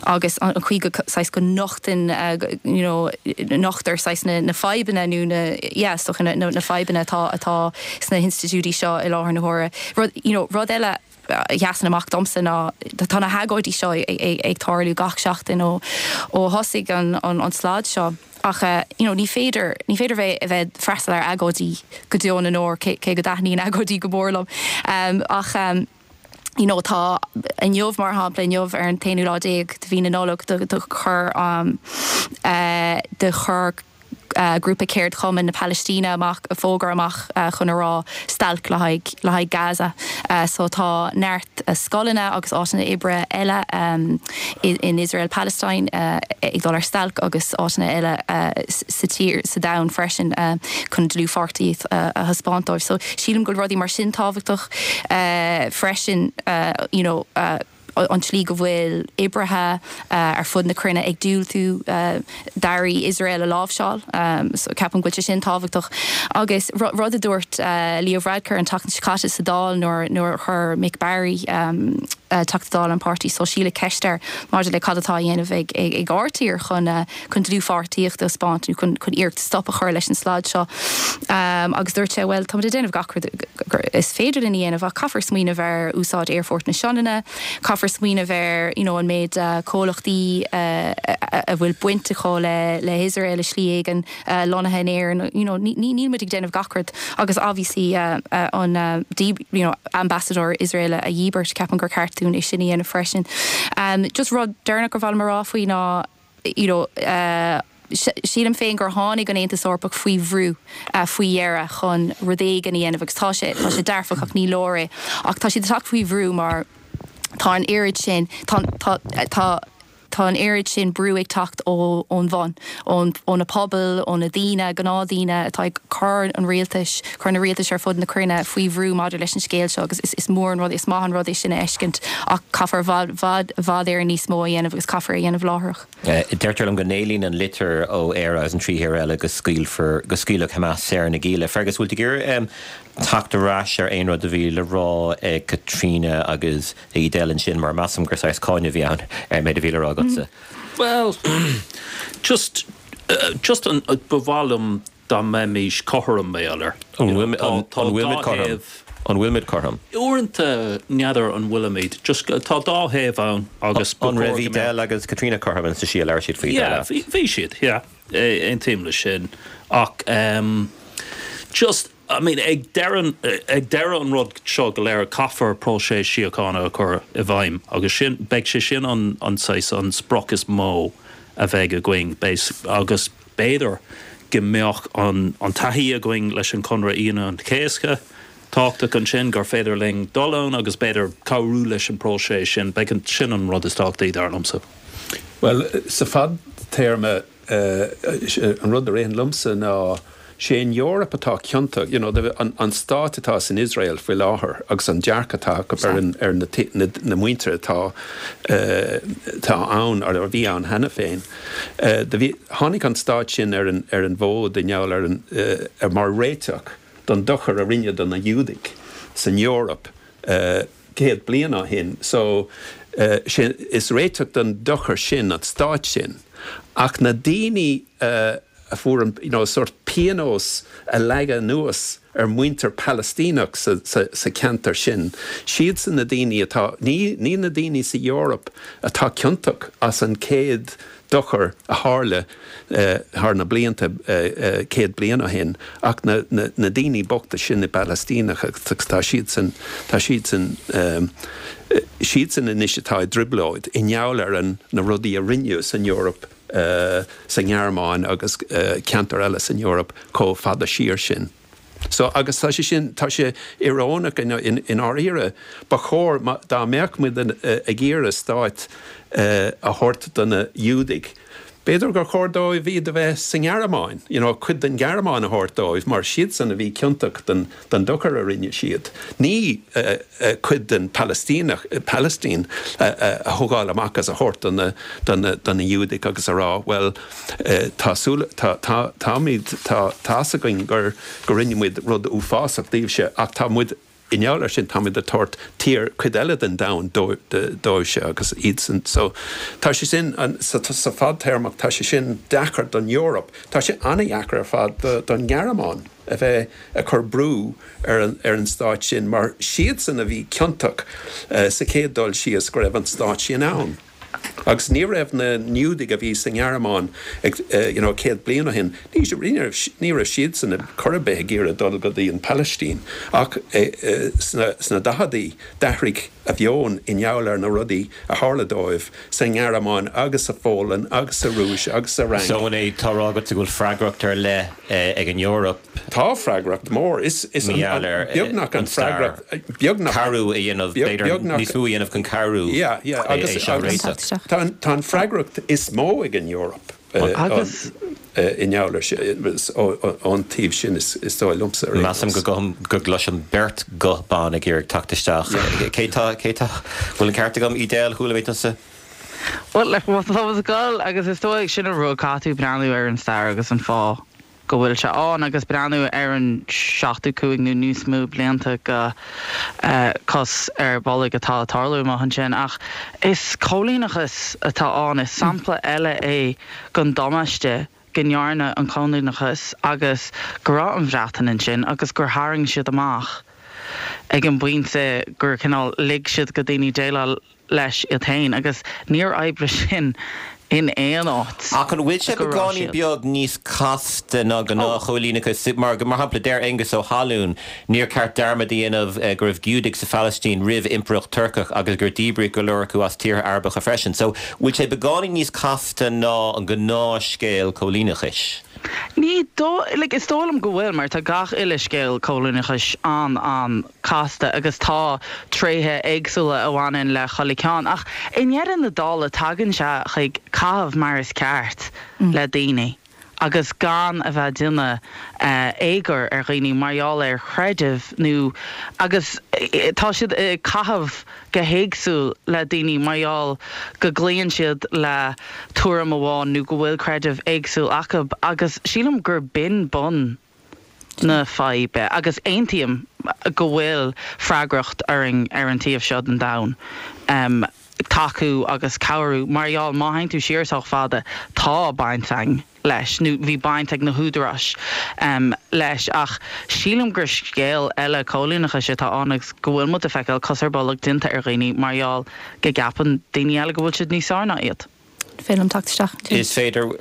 Speaker 4: agus an chaoi go saghas go nochtann uh, you know, nochtar saghas na, na fadhbanna nó na yeah, so na, na, na fadhbanna atá atá sna hinstitiúidí seo i láthair na huaire. Rud, you know, rud eile a sheasann amach domsa ná tá na hagóidí seo ag tarlú gach seachtain ó ó thosaigh an, an, an slad seo. Ach uh, you know, ní féidir ní féidir bheith a bheith freastal ar agóidí go deo na ndeor cé go dtaitníonn agóidí go mór liom. Um, ach um, you know, tá inniu mar shampla inniu ar an t-aonú lá déag de mhí na Nollag do, do chur um, uh, do chur uh, grúpa ceardchumann na Palaistíne amach a fógra amach uh, chun a rá stailc le haghaidh le haghaidh Gaza. Uh, so tá neart uh, scoileanna agus áiteanna oibre eile um, in, in Israel Palestine uh, ag dul ar stailc agus áiteanna eile uh, sa tír sa domhan freisin uh, chun dlúthpháirtíocht uh, a thaispeáint dóibh. So sílim go rudaí mar sin tábhachtach uh, freisin uh, you know, uh, an tslí go bhfuil oibrithe uh, ar fud na cruinne ag diúltú uh, d'earraí Israel a láimhseáil um, so ceapaim go bhfuil sé sin tábhachtach agus rud a dúirt uh, Leo Varadkar an tseachtain seo caite sa Dáil nuair nuair chuir Mick Barry um, uh, Teachta Dála an Páirtí Sóisialach ceist air maidir le cad atá á dhéanamh ag ag ag ár dtír chun uh, chun dlúthpháirtíocht a thaispeáint chun chun iarracht stop a chur leis an slad seo um, agus dúirt sé well tá déanamh gach is féidir linn a dhéanamh ach caithfear smaoineamh ar úsáid aerfort na Sionainne, caithfear smaoineamh ar you know, an méid uh, comhlachtaí uh, a bhfuil baint acu le le Israel i slí éigin uh, lonnaithe in Éirinn you know, níl muid ag déanamh gach rud agus obviously uh, uh, an uh, you know, ambassador Israel a dhíbirt ceapaim gur ceart dúinn é sin a dhéanamh freisin. Um, just rud deireanach gur mhaith liom a rá faoi ná you know, uh, sílim féin gur tháinig an Aontas Eorpach faoi bhrú uh, faoi dheireadh chun rud éigin a dhéanamh agus tá sé tá sé dearfach ach ní leor é ach tá siad ag teacht faoi bhrú mar tá an oiread sin tá tá tá tá an oiread sin brú ag teacht ó ón bhun ón ó na pobail ó na daoine gnáthdaoine atá ag cur an rialtais cur na rialtais ar fud na cruinne faoi bhrú maidir leis an scéal seo agus is, is mór an rud is maith an rud é sin a fheiscint ach caithfear bhfad bhfad bhfad ar níos mó a dhéanamh agus caithfear a dhéanamh láithreach.
Speaker 1: Uh, Deirtear liom go n-éilíonn an litir ó Éire agus an trí thír eile go scaoilfear go scaoilfeadh Hamas saor na gialla. Fergus bhfuil gur um, teacht ar ais ar aon rud a bhí le rá ag Katrina agus Edel ansin mar measaim gur saghas cáineadh a bhí ann ar méid a bhí le rá agatsa.
Speaker 3: Well, just uh, just an uh, ba mhaith liom dá mbeimís cothrom méalar.
Speaker 1: An bhfuil cothrom? An bhfuilimid cothrom?
Speaker 3: Uaireanta n'fheadar an bhfuilimid, just tá dá thaobh ann agus
Speaker 1: an raibh Edel agus Katrina cothrom sa sí leir siad faoi
Speaker 3: Yeah, bhí siad, yeah, aontaím leis sin ach um, just I mean ag deireadh ag deireadh an rud seo go léir caithfear próiseas síochána a chur i bhfeidhm agus sin beidh sé sin an an saghas an sprioc is mó a bheidh againn agus b'fhéidir go mbeadh an an taithí againn leis an Conradh Aoine an Chéasta tábhachtach ansin gur féidir linn dul ann agus b'fhéidir cabhrú leis an próiseas sin beidh an sin an rud is tábhachtaí dar liomsa.
Speaker 2: Well sa fadtéarma uh, an rud a ritheann liomsa ná sé an Eoraip atá ciontach you know, an, an stát atá san Israel faoi láthair agus an dearcadh atá acu ar, an, ar na, na, na muintir atá uh, tá ann ar a bhí ann cheana féin. Uh, bhí tháinig an stát sin ar an, ar an bhfód i ngeall ar an uh, ar mar réiteach don dochar a rinneadh do na Giúdaigh san Eoraip uh, céad bliain ó shin. So uh, sin, is réiteach don dochar sin an stát sin. Ach na daoine uh, a fuair an you know, sort pionós a leagadh anuas ar muintir Palestíneach sa, sa, sa ceantar sin. Siad san na daoine atá ní, ní na daoine sa Eoraip atá ciontach as an céad dochar a tharla uh, thar na blianta uh, uh, céad bliain ó shin ach na, na, na daoine bochta sin na Palestíneach tá siad san tá siad san um, siad san anois atá i dtrioblóid i ngeall ar an na rudaí a rinneadh san Eoraip uh, sa nGearmáin agus uh, ceantar eile san Eoraip chomh fada siar sin. So agus tá sé sin tá sé íorónach in, in, in áirithe ba chóir dá mbeadh muid uh, ag iarraidh stát uh, a thabhairt do na Giúdaigh. B'fhéidir gur chóir dóibh bhí a bheith sa nGearmáin, you know, cuid den Ghearmáin a thabhairt dóibh, mar siad san a bhí ciontach den, den dochar a rinne siad. Ní uh, uh, cuid den Palestíneach uh, Palestine uh, uh, a thógáil amach as a thabhairt don na, don na, don na Giúdaigh agus a rá, well uh, tá tá tá táimid tá tá's againn gur gur rinne muid rud uafásach daoibhse ach tá muid i ngeall ar sin táimid ag tabhairt tír cuid eile den domhan dóibhse agus iad san so tá sé sin an sa, sa fadtéarmach tá sé sin deacair don Eoraip tá sé an-deacair ar fad don Ghearmáin a bheith ag cur brú ar an, ar an stát sin mar siadsan a bhí ciontach uh, sa chéad dul síos go raibh an stát sin ann. Agus ní raibh na Giúdaigh a bhí sa nGearmáin ag uh, you know, céad bliain ó shin, ní raibh siad san chor ar bith ag iarraidh dul go dtí an Palestine ach uh, uh, sna, sna daicheadaí d'athraigh a meon i ngeall ar na rudaí a tharla dóibh sa nGearmáin agus sa Pholainn agus sa Rúis agus sa Fhrainc.
Speaker 1: So é tá agat go bhfuil freagracht ar leith ag an Eoraip.
Speaker 2: Tá freagracht mór is is beagnach an freagracht beagnach
Speaker 1: cabhrú a dhéanamh níos mó a dhéanamh chun cabhrú
Speaker 2: agus tá an freagracht is mó ag an Eoraip.
Speaker 5: Agus
Speaker 2: i ngeall ón taobh sin is dóigh liomsa.
Speaker 1: Measaim go go gcloisim beirt guth ban ag iarraidh teacht isteach. Cé tá cé tá bhfuil an ceart agam Edel chuala mé tusa?
Speaker 5: Well le tá gáil agus is dóigh sin an rud caithfidh tú breathnú ar an stair agus an fáth go bhfuil sé ann agus breathnú ar an seachtó cúig nó níos mó blianta go uh, cos ar bolg atá tarlú má sin ach is coilíneachas atá ann is sampla eile é den damáiste go ndearna an coilíneachas agus go raibh an Bhreatain ansin agus gur tharraing siad amach ag an bpointe gur cineál lig siad do dhaoine déileáil leis iad féin agus níor oibrigh sin in aon áit.
Speaker 1: Ach an bhfuil sé beagáinín beag níos casta ná gnáthchoilíneachas mar go mar shampla deir Aengus Ó hAlún níor cheart dearmad a dhéanamh go raibh Giúdaigh sa Phalaistín roimh impireacht Turcach agus gur díbríodh go leor acu as tíortha Arabacha freisin. So bhfuil sé beagáinín níos casta ná an gnáthscéal coilíneachais.
Speaker 5: Ní dó like, is dóigh liom go bhfuil mar tá gach uile scéal coilíneachais an an casta agus tá tréithe éagsúla a bhaineann le chuile cheann ach i ndeireadh na dála tagann sé chuig caitheamh mar is ceart mm. le daoine. agus gan a bheith déanamh uh, éagoir ar dhaoine mar gheall ar chreideamh nó agus eh, tá siad ag caitheamh go héagsúil le daoine mar gheall go gcloíonn siad le tuairim amháin nó go bhfuil creideamh éagsúil acu agus sílim gur b'in bun na faidhbe agus aontaím go bhfuil freagracht orainn ar an taobh seo den domhan. Um, tacú agus cabhrú mar gheall má théann tú siar sách fada tá baint againn leis nó bhí baint ag na húdaráis um, leis ach sílim gur scéal eile coilíneachais atá ann agus go bhfuil muid ag feiceáil cos ar bolg déanta ar dhaoine mar gheall go gceapann daoine eile go bhfuil siad níos fearr ná iad.
Speaker 4: Féidir teacht isteach.
Speaker 1: Is féidir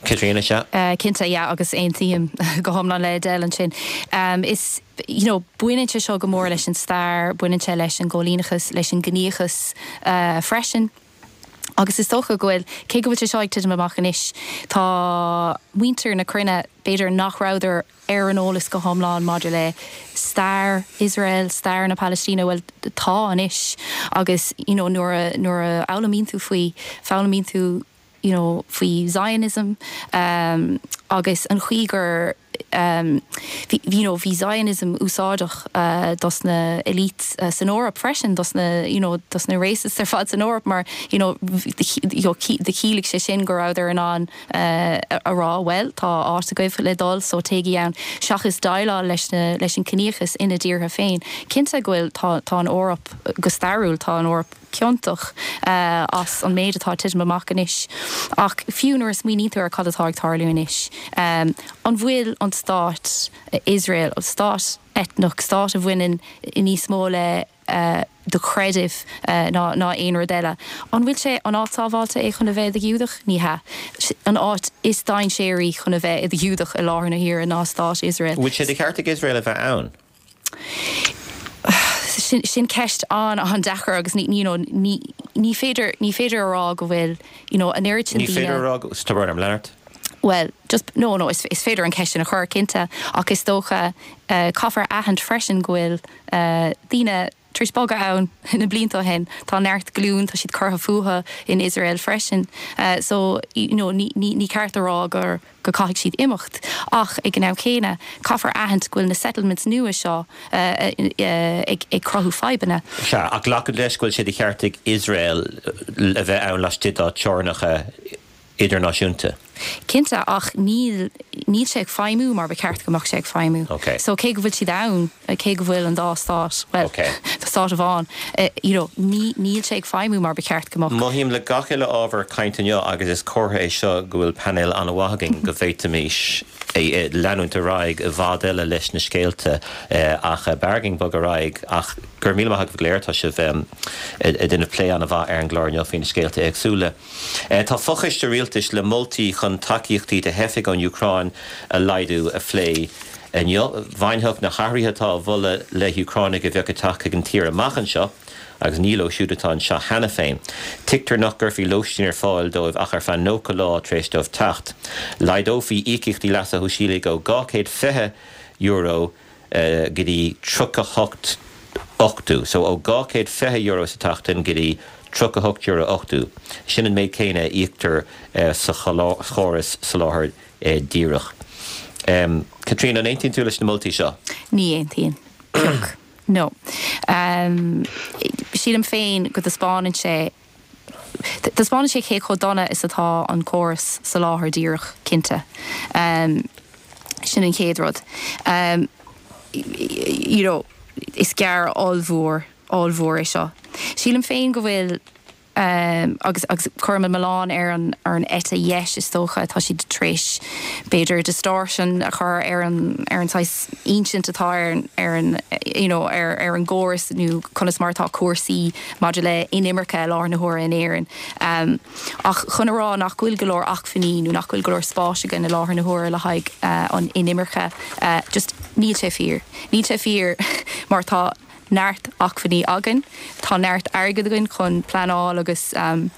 Speaker 1: Caitríona sea?
Speaker 4: Uh, cinnte yeah, agus aontaím go hiomlán le Edel ansin. Um, is you know, baineann sé seo go mór leis an stair, baineann sé leis an gcoilíneachas leis an gciníochas uh, freisin. Agus is dócha go bhfuil cé go bhfuil sé seo ag titim amach anois tá muintir na cruinne b'fhéidir nach rabhadar ar an eolas go hiomlán maidir le stair Israel, stair na Palestíne well tá anois agus you know, nuair nuair a fhoghlaimíonn tú faoi foghlaimíonn tú you know, faoi Zionism um, agus an chaoi gur um, bhí you know, bhí Zionism úsáideach uh, dos na elite uh, san Eoraip freisin dos na you know, dos na racists ar fad san Eoraip mar you know, chiallaigh sé sin go rabhadar in ann uh, a rá well tá áit agaibh le dul so téigí ann seachas déileáil leis na leis an ciníochas ina dtíortha féin. Cinnte go bhfuil tá, tá an Eoraip go stairiúil tá an Eoraip ciontach uh, as an méid atá titim amach anois. Ach fiú nuair a smaoiníonn tú ar cad atá ag tarlú anois. Um, an bhfuil an stát Israel, an stát eitneach, stát a bhaineann níos mó le uh, do chreideamh uh, ná ná aon rud eile. An bhfuil sé an áit sábháilte é chun a bheith i do Ghiúdach ní hea. An áit is dainséaraí chun a bheith i do Ghiúdach i láthair na huaire ná stát Israel.
Speaker 1: Bhfuil sé de cheart ag Israel a bheith ann?
Speaker 4: Sin, sin ceist an an deacair agus ní you know, ní, ní féidir ní féidir a rá go bhfuil you know, an oiread sin
Speaker 1: Ní féidir a rá go orm Leonard?
Speaker 4: Well, just no no is, is féidir an ceist sin a chur cinnte ach is dócha uh, caithfear aithint freisin go bhfuil uh, daoine tar éis bogadh ann na blianta ó shin tá neart glún tá siad curtha fúthu in Israel freisin. Uh, so you know, ní, ní, ní ceart a rá gur go caithfidh siad imeacht ach ag an am céanna caithfear aithint go bhfuil na settlements nua seo uh, uh, ag, ag cruthú fadhbanna.
Speaker 1: Sea ach glacann leis go bhfuil sé de cheart ag Israel a bheith ann laistigh dá teorainneacha idirnáisiúnta.
Speaker 4: Cinnte ach níl níl sé ag feidhmiú mar ba cheart go mbeadh sé ag feidhmiú.
Speaker 1: Okay.
Speaker 4: So cé go bhfuil siad ann cé go bhfuil an dá stát well
Speaker 1: Okay.
Speaker 4: tá stát amháin uh, you know, ní níl sé ag feidhmiú mar ba cheart go mbeadh.
Speaker 1: Mothaím le gach uile ábhar cainte inniu agus is comhartha é seo go bhfuil painéal an-mhaith againn go bhféadfaimis é leanúint ar aghaidh i bhfad eile leis na scéalta ach b'fhearr dúinn bogadh ar aghaidh ach gur míle maith go léir tá sibh ag déanamh plé an-mhaith ar an gclár inniu faoi na scéalta éagsúla. Tá fochoiste rialtais le moltaí chun tacaíochtaí do theifigh ón Úcráin a laghdú a phlé. Inniu bhainfeadh na hathruithe atá á mholadh le hÚcránaigh a bheadh ag teacht chuig an tír amach anseo, agus ní leo siúd atá anseo cheana féin. Tuigtear nach gcuirfí lóistín ar fáil dóibh ach ar feadh nócha lá tar éis dóibh teacht. Laghdófaí íocaíochtaí leasa shóisialaigh ó dhá chéad fiche euro go dtí tríocha hocht ochtó, so ó dhá chéad fiche euro sa tseachtain go dtí tríocha hocht euro ochtó. Sin an méid céanna a íoctar sa chóras soláthair díreach. Um, Caitríona an aontaíonn tú leis na moltaí seo?
Speaker 4: Ní aontaím. No. Um, sílim féin go dtaispeánann sé Taispeánann sé cé chomh dona is atá an córas soláthair díreach cinnte. Um, sin an chéad rud. Um, you know, is gearradh ollmhór ollmhór é seo. Sílim féin go bhfuil um, agus agus cuirim an milleán ar an ar an eite dheis is dócha tá siad tar éis b'fhéidir distortion a chur ar an ar an saghas insint atá ar an ar an you know, ar ar an gcóras nó conas mar atá cúrsaí maidir le inimirce i láthair na huaire in Éirinn. Um, ach chun a rá nach bhfuil go leor acmhainní nó nach bhfuil go leor spáis againn i láthair na huaire le haghaidh uh, an inimirce uh, just níl sé fíor. Níl sé fíor mar tá neart acmhainní againn, Tá neart airgead againn chun pleanáil agus um,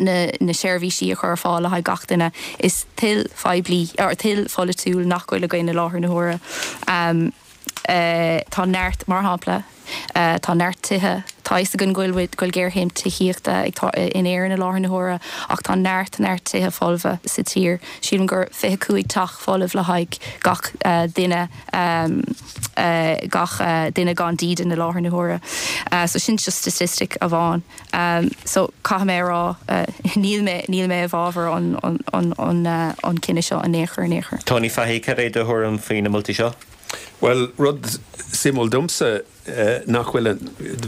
Speaker 4: na, na seirbhísí a chur ar fáil le haghaidh gach duine is toil phoiblí or toil pholaitiúil nach bhfuil againn i láthair na huaire. Um, uh, tá neart mar shampla uh, tá neart tithe tá a fhios againn go bhfuil go bhfuil géarchéim tithíochta ag tá in Éirinn i láthair na huaire ach tá neart neart tithe folmha sa tír. Sílim gur fiche cúig teach folamh le haghaidh gach uh, duine um, uh, gach uh, duine gan dídean i láthair na huaire. Uh, so sin just statistic amháin. Um, so caithfidh mé rá uh, níl mé níl mé i bhfabhar an, an, an, an, uh, an cinneadh seo in aon chor in aon chor.
Speaker 1: Tony Fahy cad é do thuairim faoi na moltaí seo?
Speaker 2: Well rud suimiúil domsa uh, nach bhfuil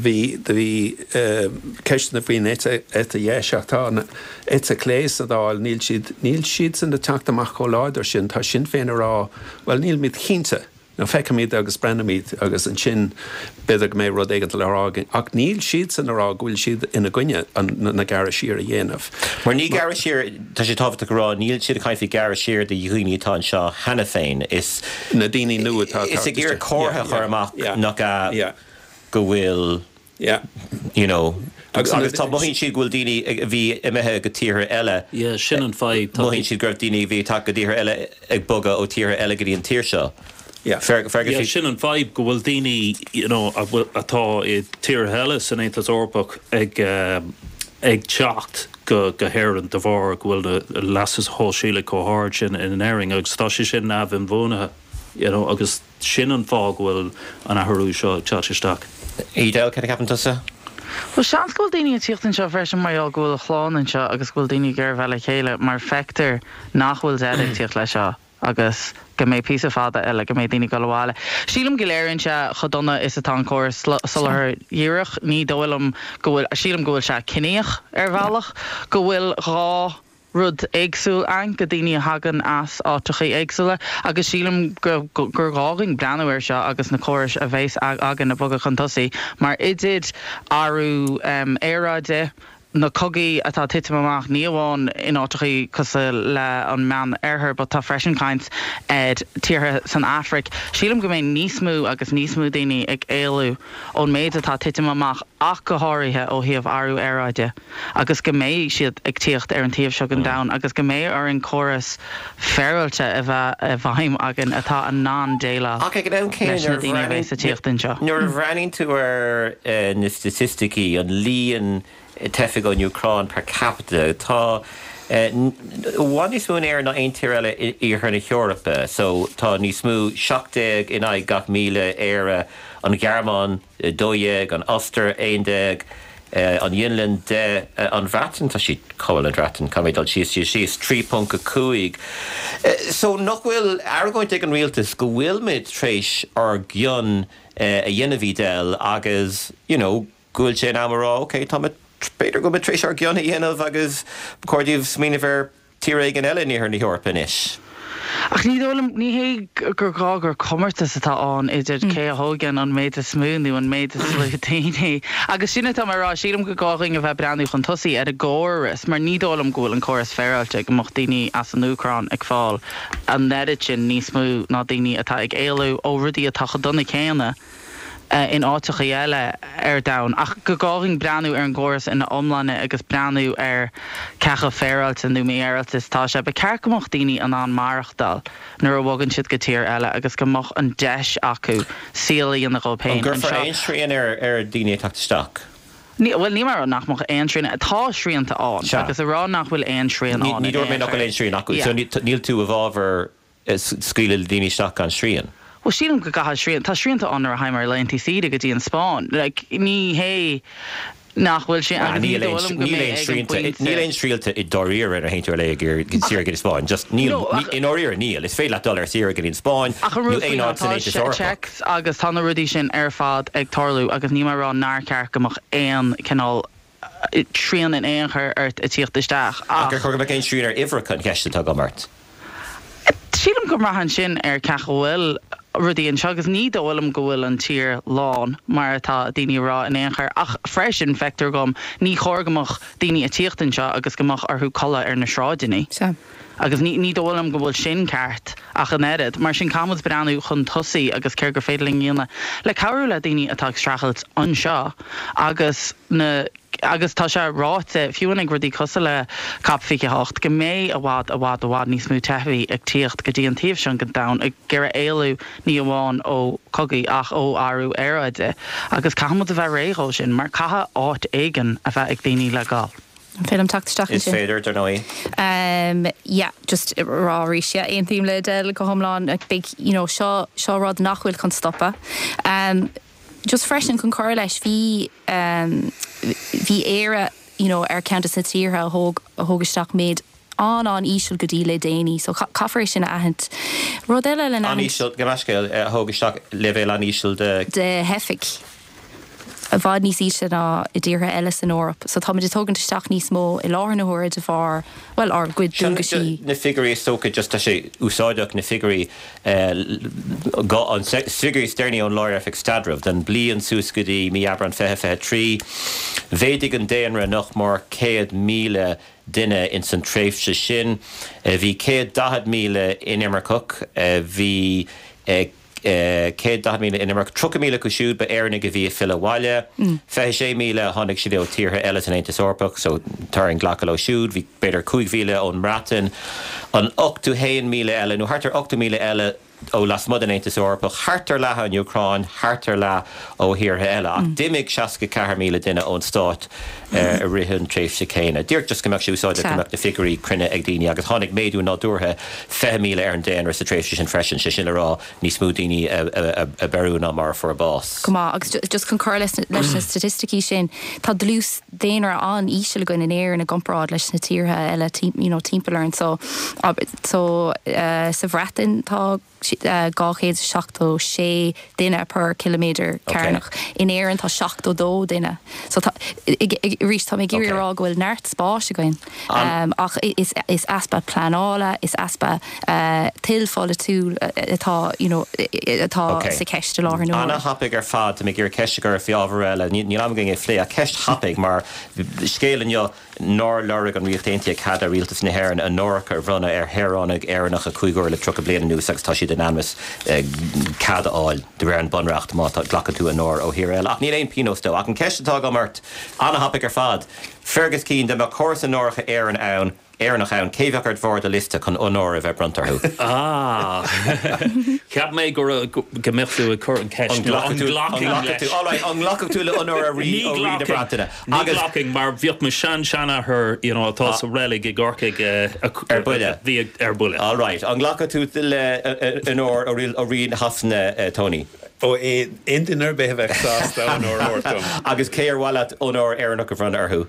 Speaker 2: bhí bhí uh, ceisteanna faoin eite eite dheis ach tá an eite chlé sa Dáil níl siad níl siad san ag teacht amach chomh láidir sin tá Sinn Féin ag rá well nílimid cinnte nó feicfimid agus breathnóimid agus ansin b'fhéidir go mbeidh rud éigin le rá ach níl siad san ag rá go bhfuil siad ina gcoinne na gearradh siar a dhéanamh.
Speaker 1: Mar ní gearradh siar tá sé tábhachtach rá níl siad ag caint faoi gearradh siar do dhaoine atá anseo cheana féin is
Speaker 2: na daoine nua atá
Speaker 1: is ag iarraidh comhartha a chur amach nach ea go bhfuil
Speaker 2: Yeah.
Speaker 1: you know
Speaker 2: Agus
Speaker 1: agus tá mothaíonn siad go bhfuil daoine a bhí imithe go tíortha eile.
Speaker 3: Yeah, sin an fadhb.
Speaker 1: Mothaíonn siad go raibh daoine a bhí ag go tíortha eile ag bogadh ó tíortha eile go dtí an tír seo.
Speaker 2: Yeah.
Speaker 1: Fer
Speaker 3: Yeah, sin an fadhb go bhfuil daoine you know, a bhfuil- atá i tíortha eile san Aontas Eorpach ag um, ag teacht go go hÉirinn de bharr go bhfuil na leasa shóisialaigh chomh hard sin in Éirinn agus tá sé sin neamh-inbhuanaithe you know, agus sin an fáth go bhfuil an athrú seo ag teacht isteach.
Speaker 1: Edel cad a cheapann tusa?
Speaker 5: Well seans go bhfuil daoine ag tíocht anseo freisin mar go bhfuil a chlann anseo agus go bhfuil daoine ag iarraidh bheith le chéile mar feictear nach bhfuil deireadh ag tíocht leis seo agus go mbeidh píosa fada eile go mbeidh daoine ag dul abhaile. Sílim go léiríonn sé chomh dona is atá an córas soláthair dhíreach ní dóigh liom go bhfuil sílim go bhfuil sé ciníoch ar bhealach go bhfuil dhá rud éagsúil ann go daoine a thagann as áiteacha éagsúla agus sílim gur gur gá dúinn breathnú air seo agus na córais a bheas againn ag bogadh chun tosaigh mar idir athrú um, aeráide na cogaí atá titim amach ní amháin in áiteacha cosúil le an Meánoirthear, but tá freisin caint ar tíortha san Afraic. Sílim go mbeidh níos mó agus níos mó daoine ag éalú ón méid atá titim amach ach go háirithe ó thaobh athrú aeráide, agus go mbeidh siad ag tíocht ar an taobh seo den domhan agus go mbeidh ar an córas féaráilte a bheith i bhfeidhm againn atá in ann déileáil
Speaker 1: Ach ag an am
Speaker 5: leis na daoine a bheas ag tíocht anseo.
Speaker 1: Nuair a bhreathnaíonn tú ar eh, na staitisticí an líon teifigh ón Úcráin per capita tá eh, bhfuil níos mó in Éirinn ná aon tír eile i iarthar na hEorpa, so tá níos mó seacht déag in aghaidh gach míle Éire an Ghearmáin dó dhéag an Ostair aon déag an Fhionlainn deich an Bhreatain tá sí cáil an Bhreatain tá mé dul síos síos síos trí ponc a cúig. So nach bhfuil argóint ag an rialtas go bhfuil muid tar éis ár gcion a dhéanamh Edel agus you know, go bhfuil sé in am a rá, okay, tá b'fhéidir go bhfuil tar éis ár gcion a dhéanamh agus ba chóir daoibh smaoineamh ar tír éigin eile in iarthar na hEorpa anois.
Speaker 5: Ach ní dóigh liom ní hé gur gá gur comórtas atá ann idir cé a thógann an méid is mó nó an méid is lú daoine. Agus sin atá mé ag rá sílim go gá dúinn a bheith breathnú chun tosaigh ar an gcóras, mar ní dóigh liom go bhfuil an córas féaráilte go mbeadh daoine as an Úcráin ag fáil an oiread sin níos mó ná daoine atá ag éalú ó rudaí atá chomh dona céanna. in áiteacha eile ar domhan ach go gá dúinn breathnú ar an gcóras ina iomláine agus breathnú ar cé chomh féaráilte nó mífhéaráilte is atá sé ba cheart go mbeadh daoine in ann maireachtáil nuair a bhogann siad go tír eile agus go mbeadh an deis acu saol a dhéanamh dóibh féin
Speaker 1: An gcuirfear aon srian ar ar daoine ag teacht isteach.
Speaker 5: Ní bhfuil ní mar nach mbeadh aon srian tá srianta ann agus a rá nach bhfuil aon srian ann.
Speaker 1: Ní dúirt mé nach bhfuil aon srian acu so níl tú i bhfabhar scaoileadh daoine isteach gan srian.
Speaker 5: Well sílim go gcaithfidh srian tá srianta ann ar théamar laethanta saoire go dtí an Spáinn like, ní hé nach bhfuil sé
Speaker 1: Ah, níl aon srianta i ndáiríre ar théann tú ar saoire go Spáinn just níl i ndáiríre níl is féidir leat dul ar saoire go dtí an Spáinn
Speaker 5: Ach an rud faoi ná tá checks agus tá na rudaí sin ar fad ag tarlú agus ní mar rá nár cheart go mbeadh aon cineál srian in aon chor ort a tíocht isteach
Speaker 1: ach ar chóir go mbeadh aon srian ar uimhreacha an cheist atá agam ort.
Speaker 5: Sílim go mbraitheann sin ar cé go bhfuil rudaí anseo agus ní dóigh liom go bhfuil an tír lán mar atá daoine ag rá in aon chor ach freisin feictear dom ní chóir go mbeadh daoine ag tíocht anseo agus go mbeadh orthu codladh ar na sráideanna. Agus ní ní dóigh liom go bhfuil sin ceart ach an oiread, mar sin caithfimid breathnú chun tosaigh agus céard gur féidir linn a dhéanamh le cabhrú le daoine atá ag streachailt anseo agus na Agus tá sé ráite fiú ag rudaí cosúil le COP fiche hocht go mbeidh i bhfad i bhfad i bhfad níos mó teifigh ag tíocht go dtí an taobh seo den domhan ag iarraidh éalú ní amháin ó chogaí ach ó athrú aeráide agus caithfidh muid a bheith réidh dó sin mar caithfidh áit éigin a bheith ag daoine le gabháil.
Speaker 4: An féidir liom teacht isteach
Speaker 1: Is
Speaker 4: ansin?
Speaker 1: féidir, dar ndóigh.
Speaker 4: Um, yeah, just rá arís, yeah, aontaím le Edel go hiomlán like, big, you know, seo seo rud nach bhfuil chun stopadh. Um, just freisin chun cur leis bhí um, bhí Éire you know, ar ceann de na tíortha a thóg a thóg isteach méid an an íseal go dtí le déanaí, so caithfear sin a aithint. Rud eile le
Speaker 1: An íseal go meiscéil a thóg isteach leibhéal an íseal de
Speaker 4: de theifigh. I bhfad níos ísle ná i dtíortha eile san Eoraip, so táimid ag tógaint isteach níos mó i láthair na huaire de bharr well ár gcuid dualgaisí.
Speaker 1: Na figiúirí is dócha just tá sé úsáideach na figiúirí an figiúirí is deireanaí ón Lár-Oifig Staidrimh den bliain suas go dtí mí Aibreán fiche fiche trí. Mhéadaigh an daonra nach mór céad míle duine in san tréimhse sin. Bhí céad daichead míle inimirceach, bhí céad daichead míle inimirceach, tríocha míle acu siúd ba Éireannaigh a bhí ag filleadh abhaile, fiche sé míle tháinig siad ó tíortha eile san Aontas Eorpach, so tá orainn glacadh leo siúd, bhí b'fhéidir cúig mhíle ón mBreatain, an ochtó haon míle eile nó thart ar ochtó míle eile ó lasmuigh den Aontas Eorpach, thart ar leath ón Úcráin, thart ar leath ó thíortha eile, ach d'imigh seasca ceathair míle duine ón stát i rith an tréimhse céanna. Díreach just go mbeadh sé úsáideach go mbeadh na figiúirí cruinne ag daoine agus tháinig méadú nádúrtha fiche míle ar an daonra sa tréimhse sin freisin, sé sin le rá níos mó daoine a beireadh ná mar a fuair bás.
Speaker 4: Go maith, agus just chun cur leis leis na staitisticí sin, tá dlús daonra an-íseal againn in Éirinn i gcomparáid leis na tíortha eile you know, timpeall orainn so so uh, sa Bhreatain tá dhá chéad seachtó sé duine per kilometer cearnach. In Éirinn tá seachtó dó duine. So arís tá mé ag iarraidh rá go bhfuil neart spáis againn. Um, ach is, is easpa pleanála, is easpa uh, toil pholaitiúil atá you know, atá okay. sa ceist i láthair na
Speaker 1: huaire. An-thapaidh ar fad mé gur ceist gur fi ábhar eile, níl am againn é phlé a ceist thapaidh mar scéal inniu nár lorg an Ríocht Aontaithe cead ó Rialtas na hÉireann onóracha a bhronnadh ar shaoránaigh Éireannacha cúig huaire le tríocha bliain anuas agus tá siad in ainm is cead a fháil de réir an bunreacht má glacann tú onóir ó thír eile. Ach níl aon pionós dó. Ach an ceist atá agam ort an-thapaidh ar fad. Fergus Keane dá mbeadh córas onóracha Éireann ann, Éireannach ann, cé bheadh ar bharr do liosta chun onóir a bheith bronnta orthu.
Speaker 3: Ah Cheap mé go go mbeadh tú ag cur an ceist
Speaker 1: An nglacfadh tú le onóir ó rí ó rí na Breataine.
Speaker 3: Agus glacfainn mar bhíodh mo sean seanathair you know, atá sa reilig i gCorcaigh
Speaker 1: ar buile
Speaker 3: bhí ar buile.
Speaker 1: All right, an nglacfadh tú le onóir ó rí Shasana Tony.
Speaker 2: Ó aon duine ar bith a bheith sásta onóir a thabhairt dom.
Speaker 1: Agus cé ar mhaith leat onóir Éireannach a bhronnadh orthu.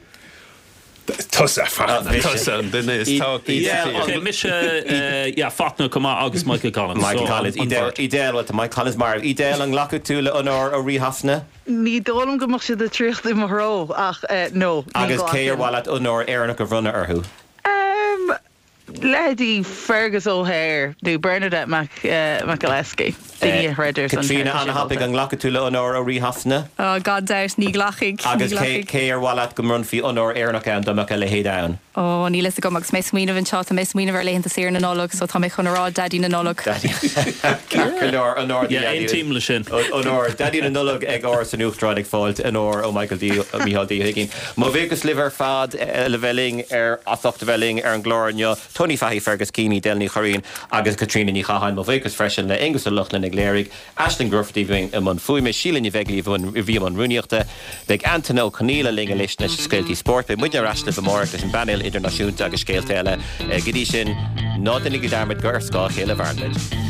Speaker 2: Tusa tusa an duine is tábhachtaí.
Speaker 3: Mise Fachtna chomh maith agus Michael Collins.
Speaker 1: Michael Collins Edel well tá Mike Collins mar Edel an nglacfadh tú le onóir ó rí Shasana?
Speaker 5: Ní dóigh liom go mbeadh siad ag tíocht i mo threo ach no.
Speaker 1: Agus cé ar mhaith leat onóir Éireannach a bhronnadh orthu?
Speaker 5: Um, Leithéidí Fergus O'Hare nó Bernadette Mac uh, McAliskey. Daoine a throid ar son
Speaker 1: Caitríona an-thapaidh an nglacfadh tú le onóir ó rí Shasana?
Speaker 4: Oh, gan dabht ní ghlacfainn.
Speaker 1: Agus cé cé ar mhaith leat go mbronnfaí onóir Éireannach ann dá mbeadh a leithéid ann?
Speaker 4: Ó níl a fhios agam agus mé smaoineamh anseo tá mé smaoineamh ar laethanta saoire na Nollag, so tá mé chun a rá Daidí na Nollag.
Speaker 1: Onóir onóir
Speaker 3: Aontaím le sin.
Speaker 1: Onóir Daidí na Nollag ag Áras an Uachtaráin ag fáilt onóir ó Michael D Micheál D Ó hUiginn. Mo bhuíochas libh ar fad le bheith linn ar as ucht a bheith linn ar an gclár inniu. Tony Fahy Fergus Keane, Edel Ní Churraoin agus Caitríona Ní Chatháin mo bhuíochas freisin le Aonghus Ó Lochlainn ag léiriú, Aisling Grufferty bhí i mbun fuaime Síle Ní Bheaglaoich bhí i mbun rúnaíochta, beidh Antain Ó Conghaile linn anois leis scéaltaí spóirt, beidh muidne ar ais libh amárach leis an bpainéal idirnáisiúnta agus scéalta eile. Go dtí sin ná déanaigí dearmad gur ar scáth a chéile a mhaireann muid.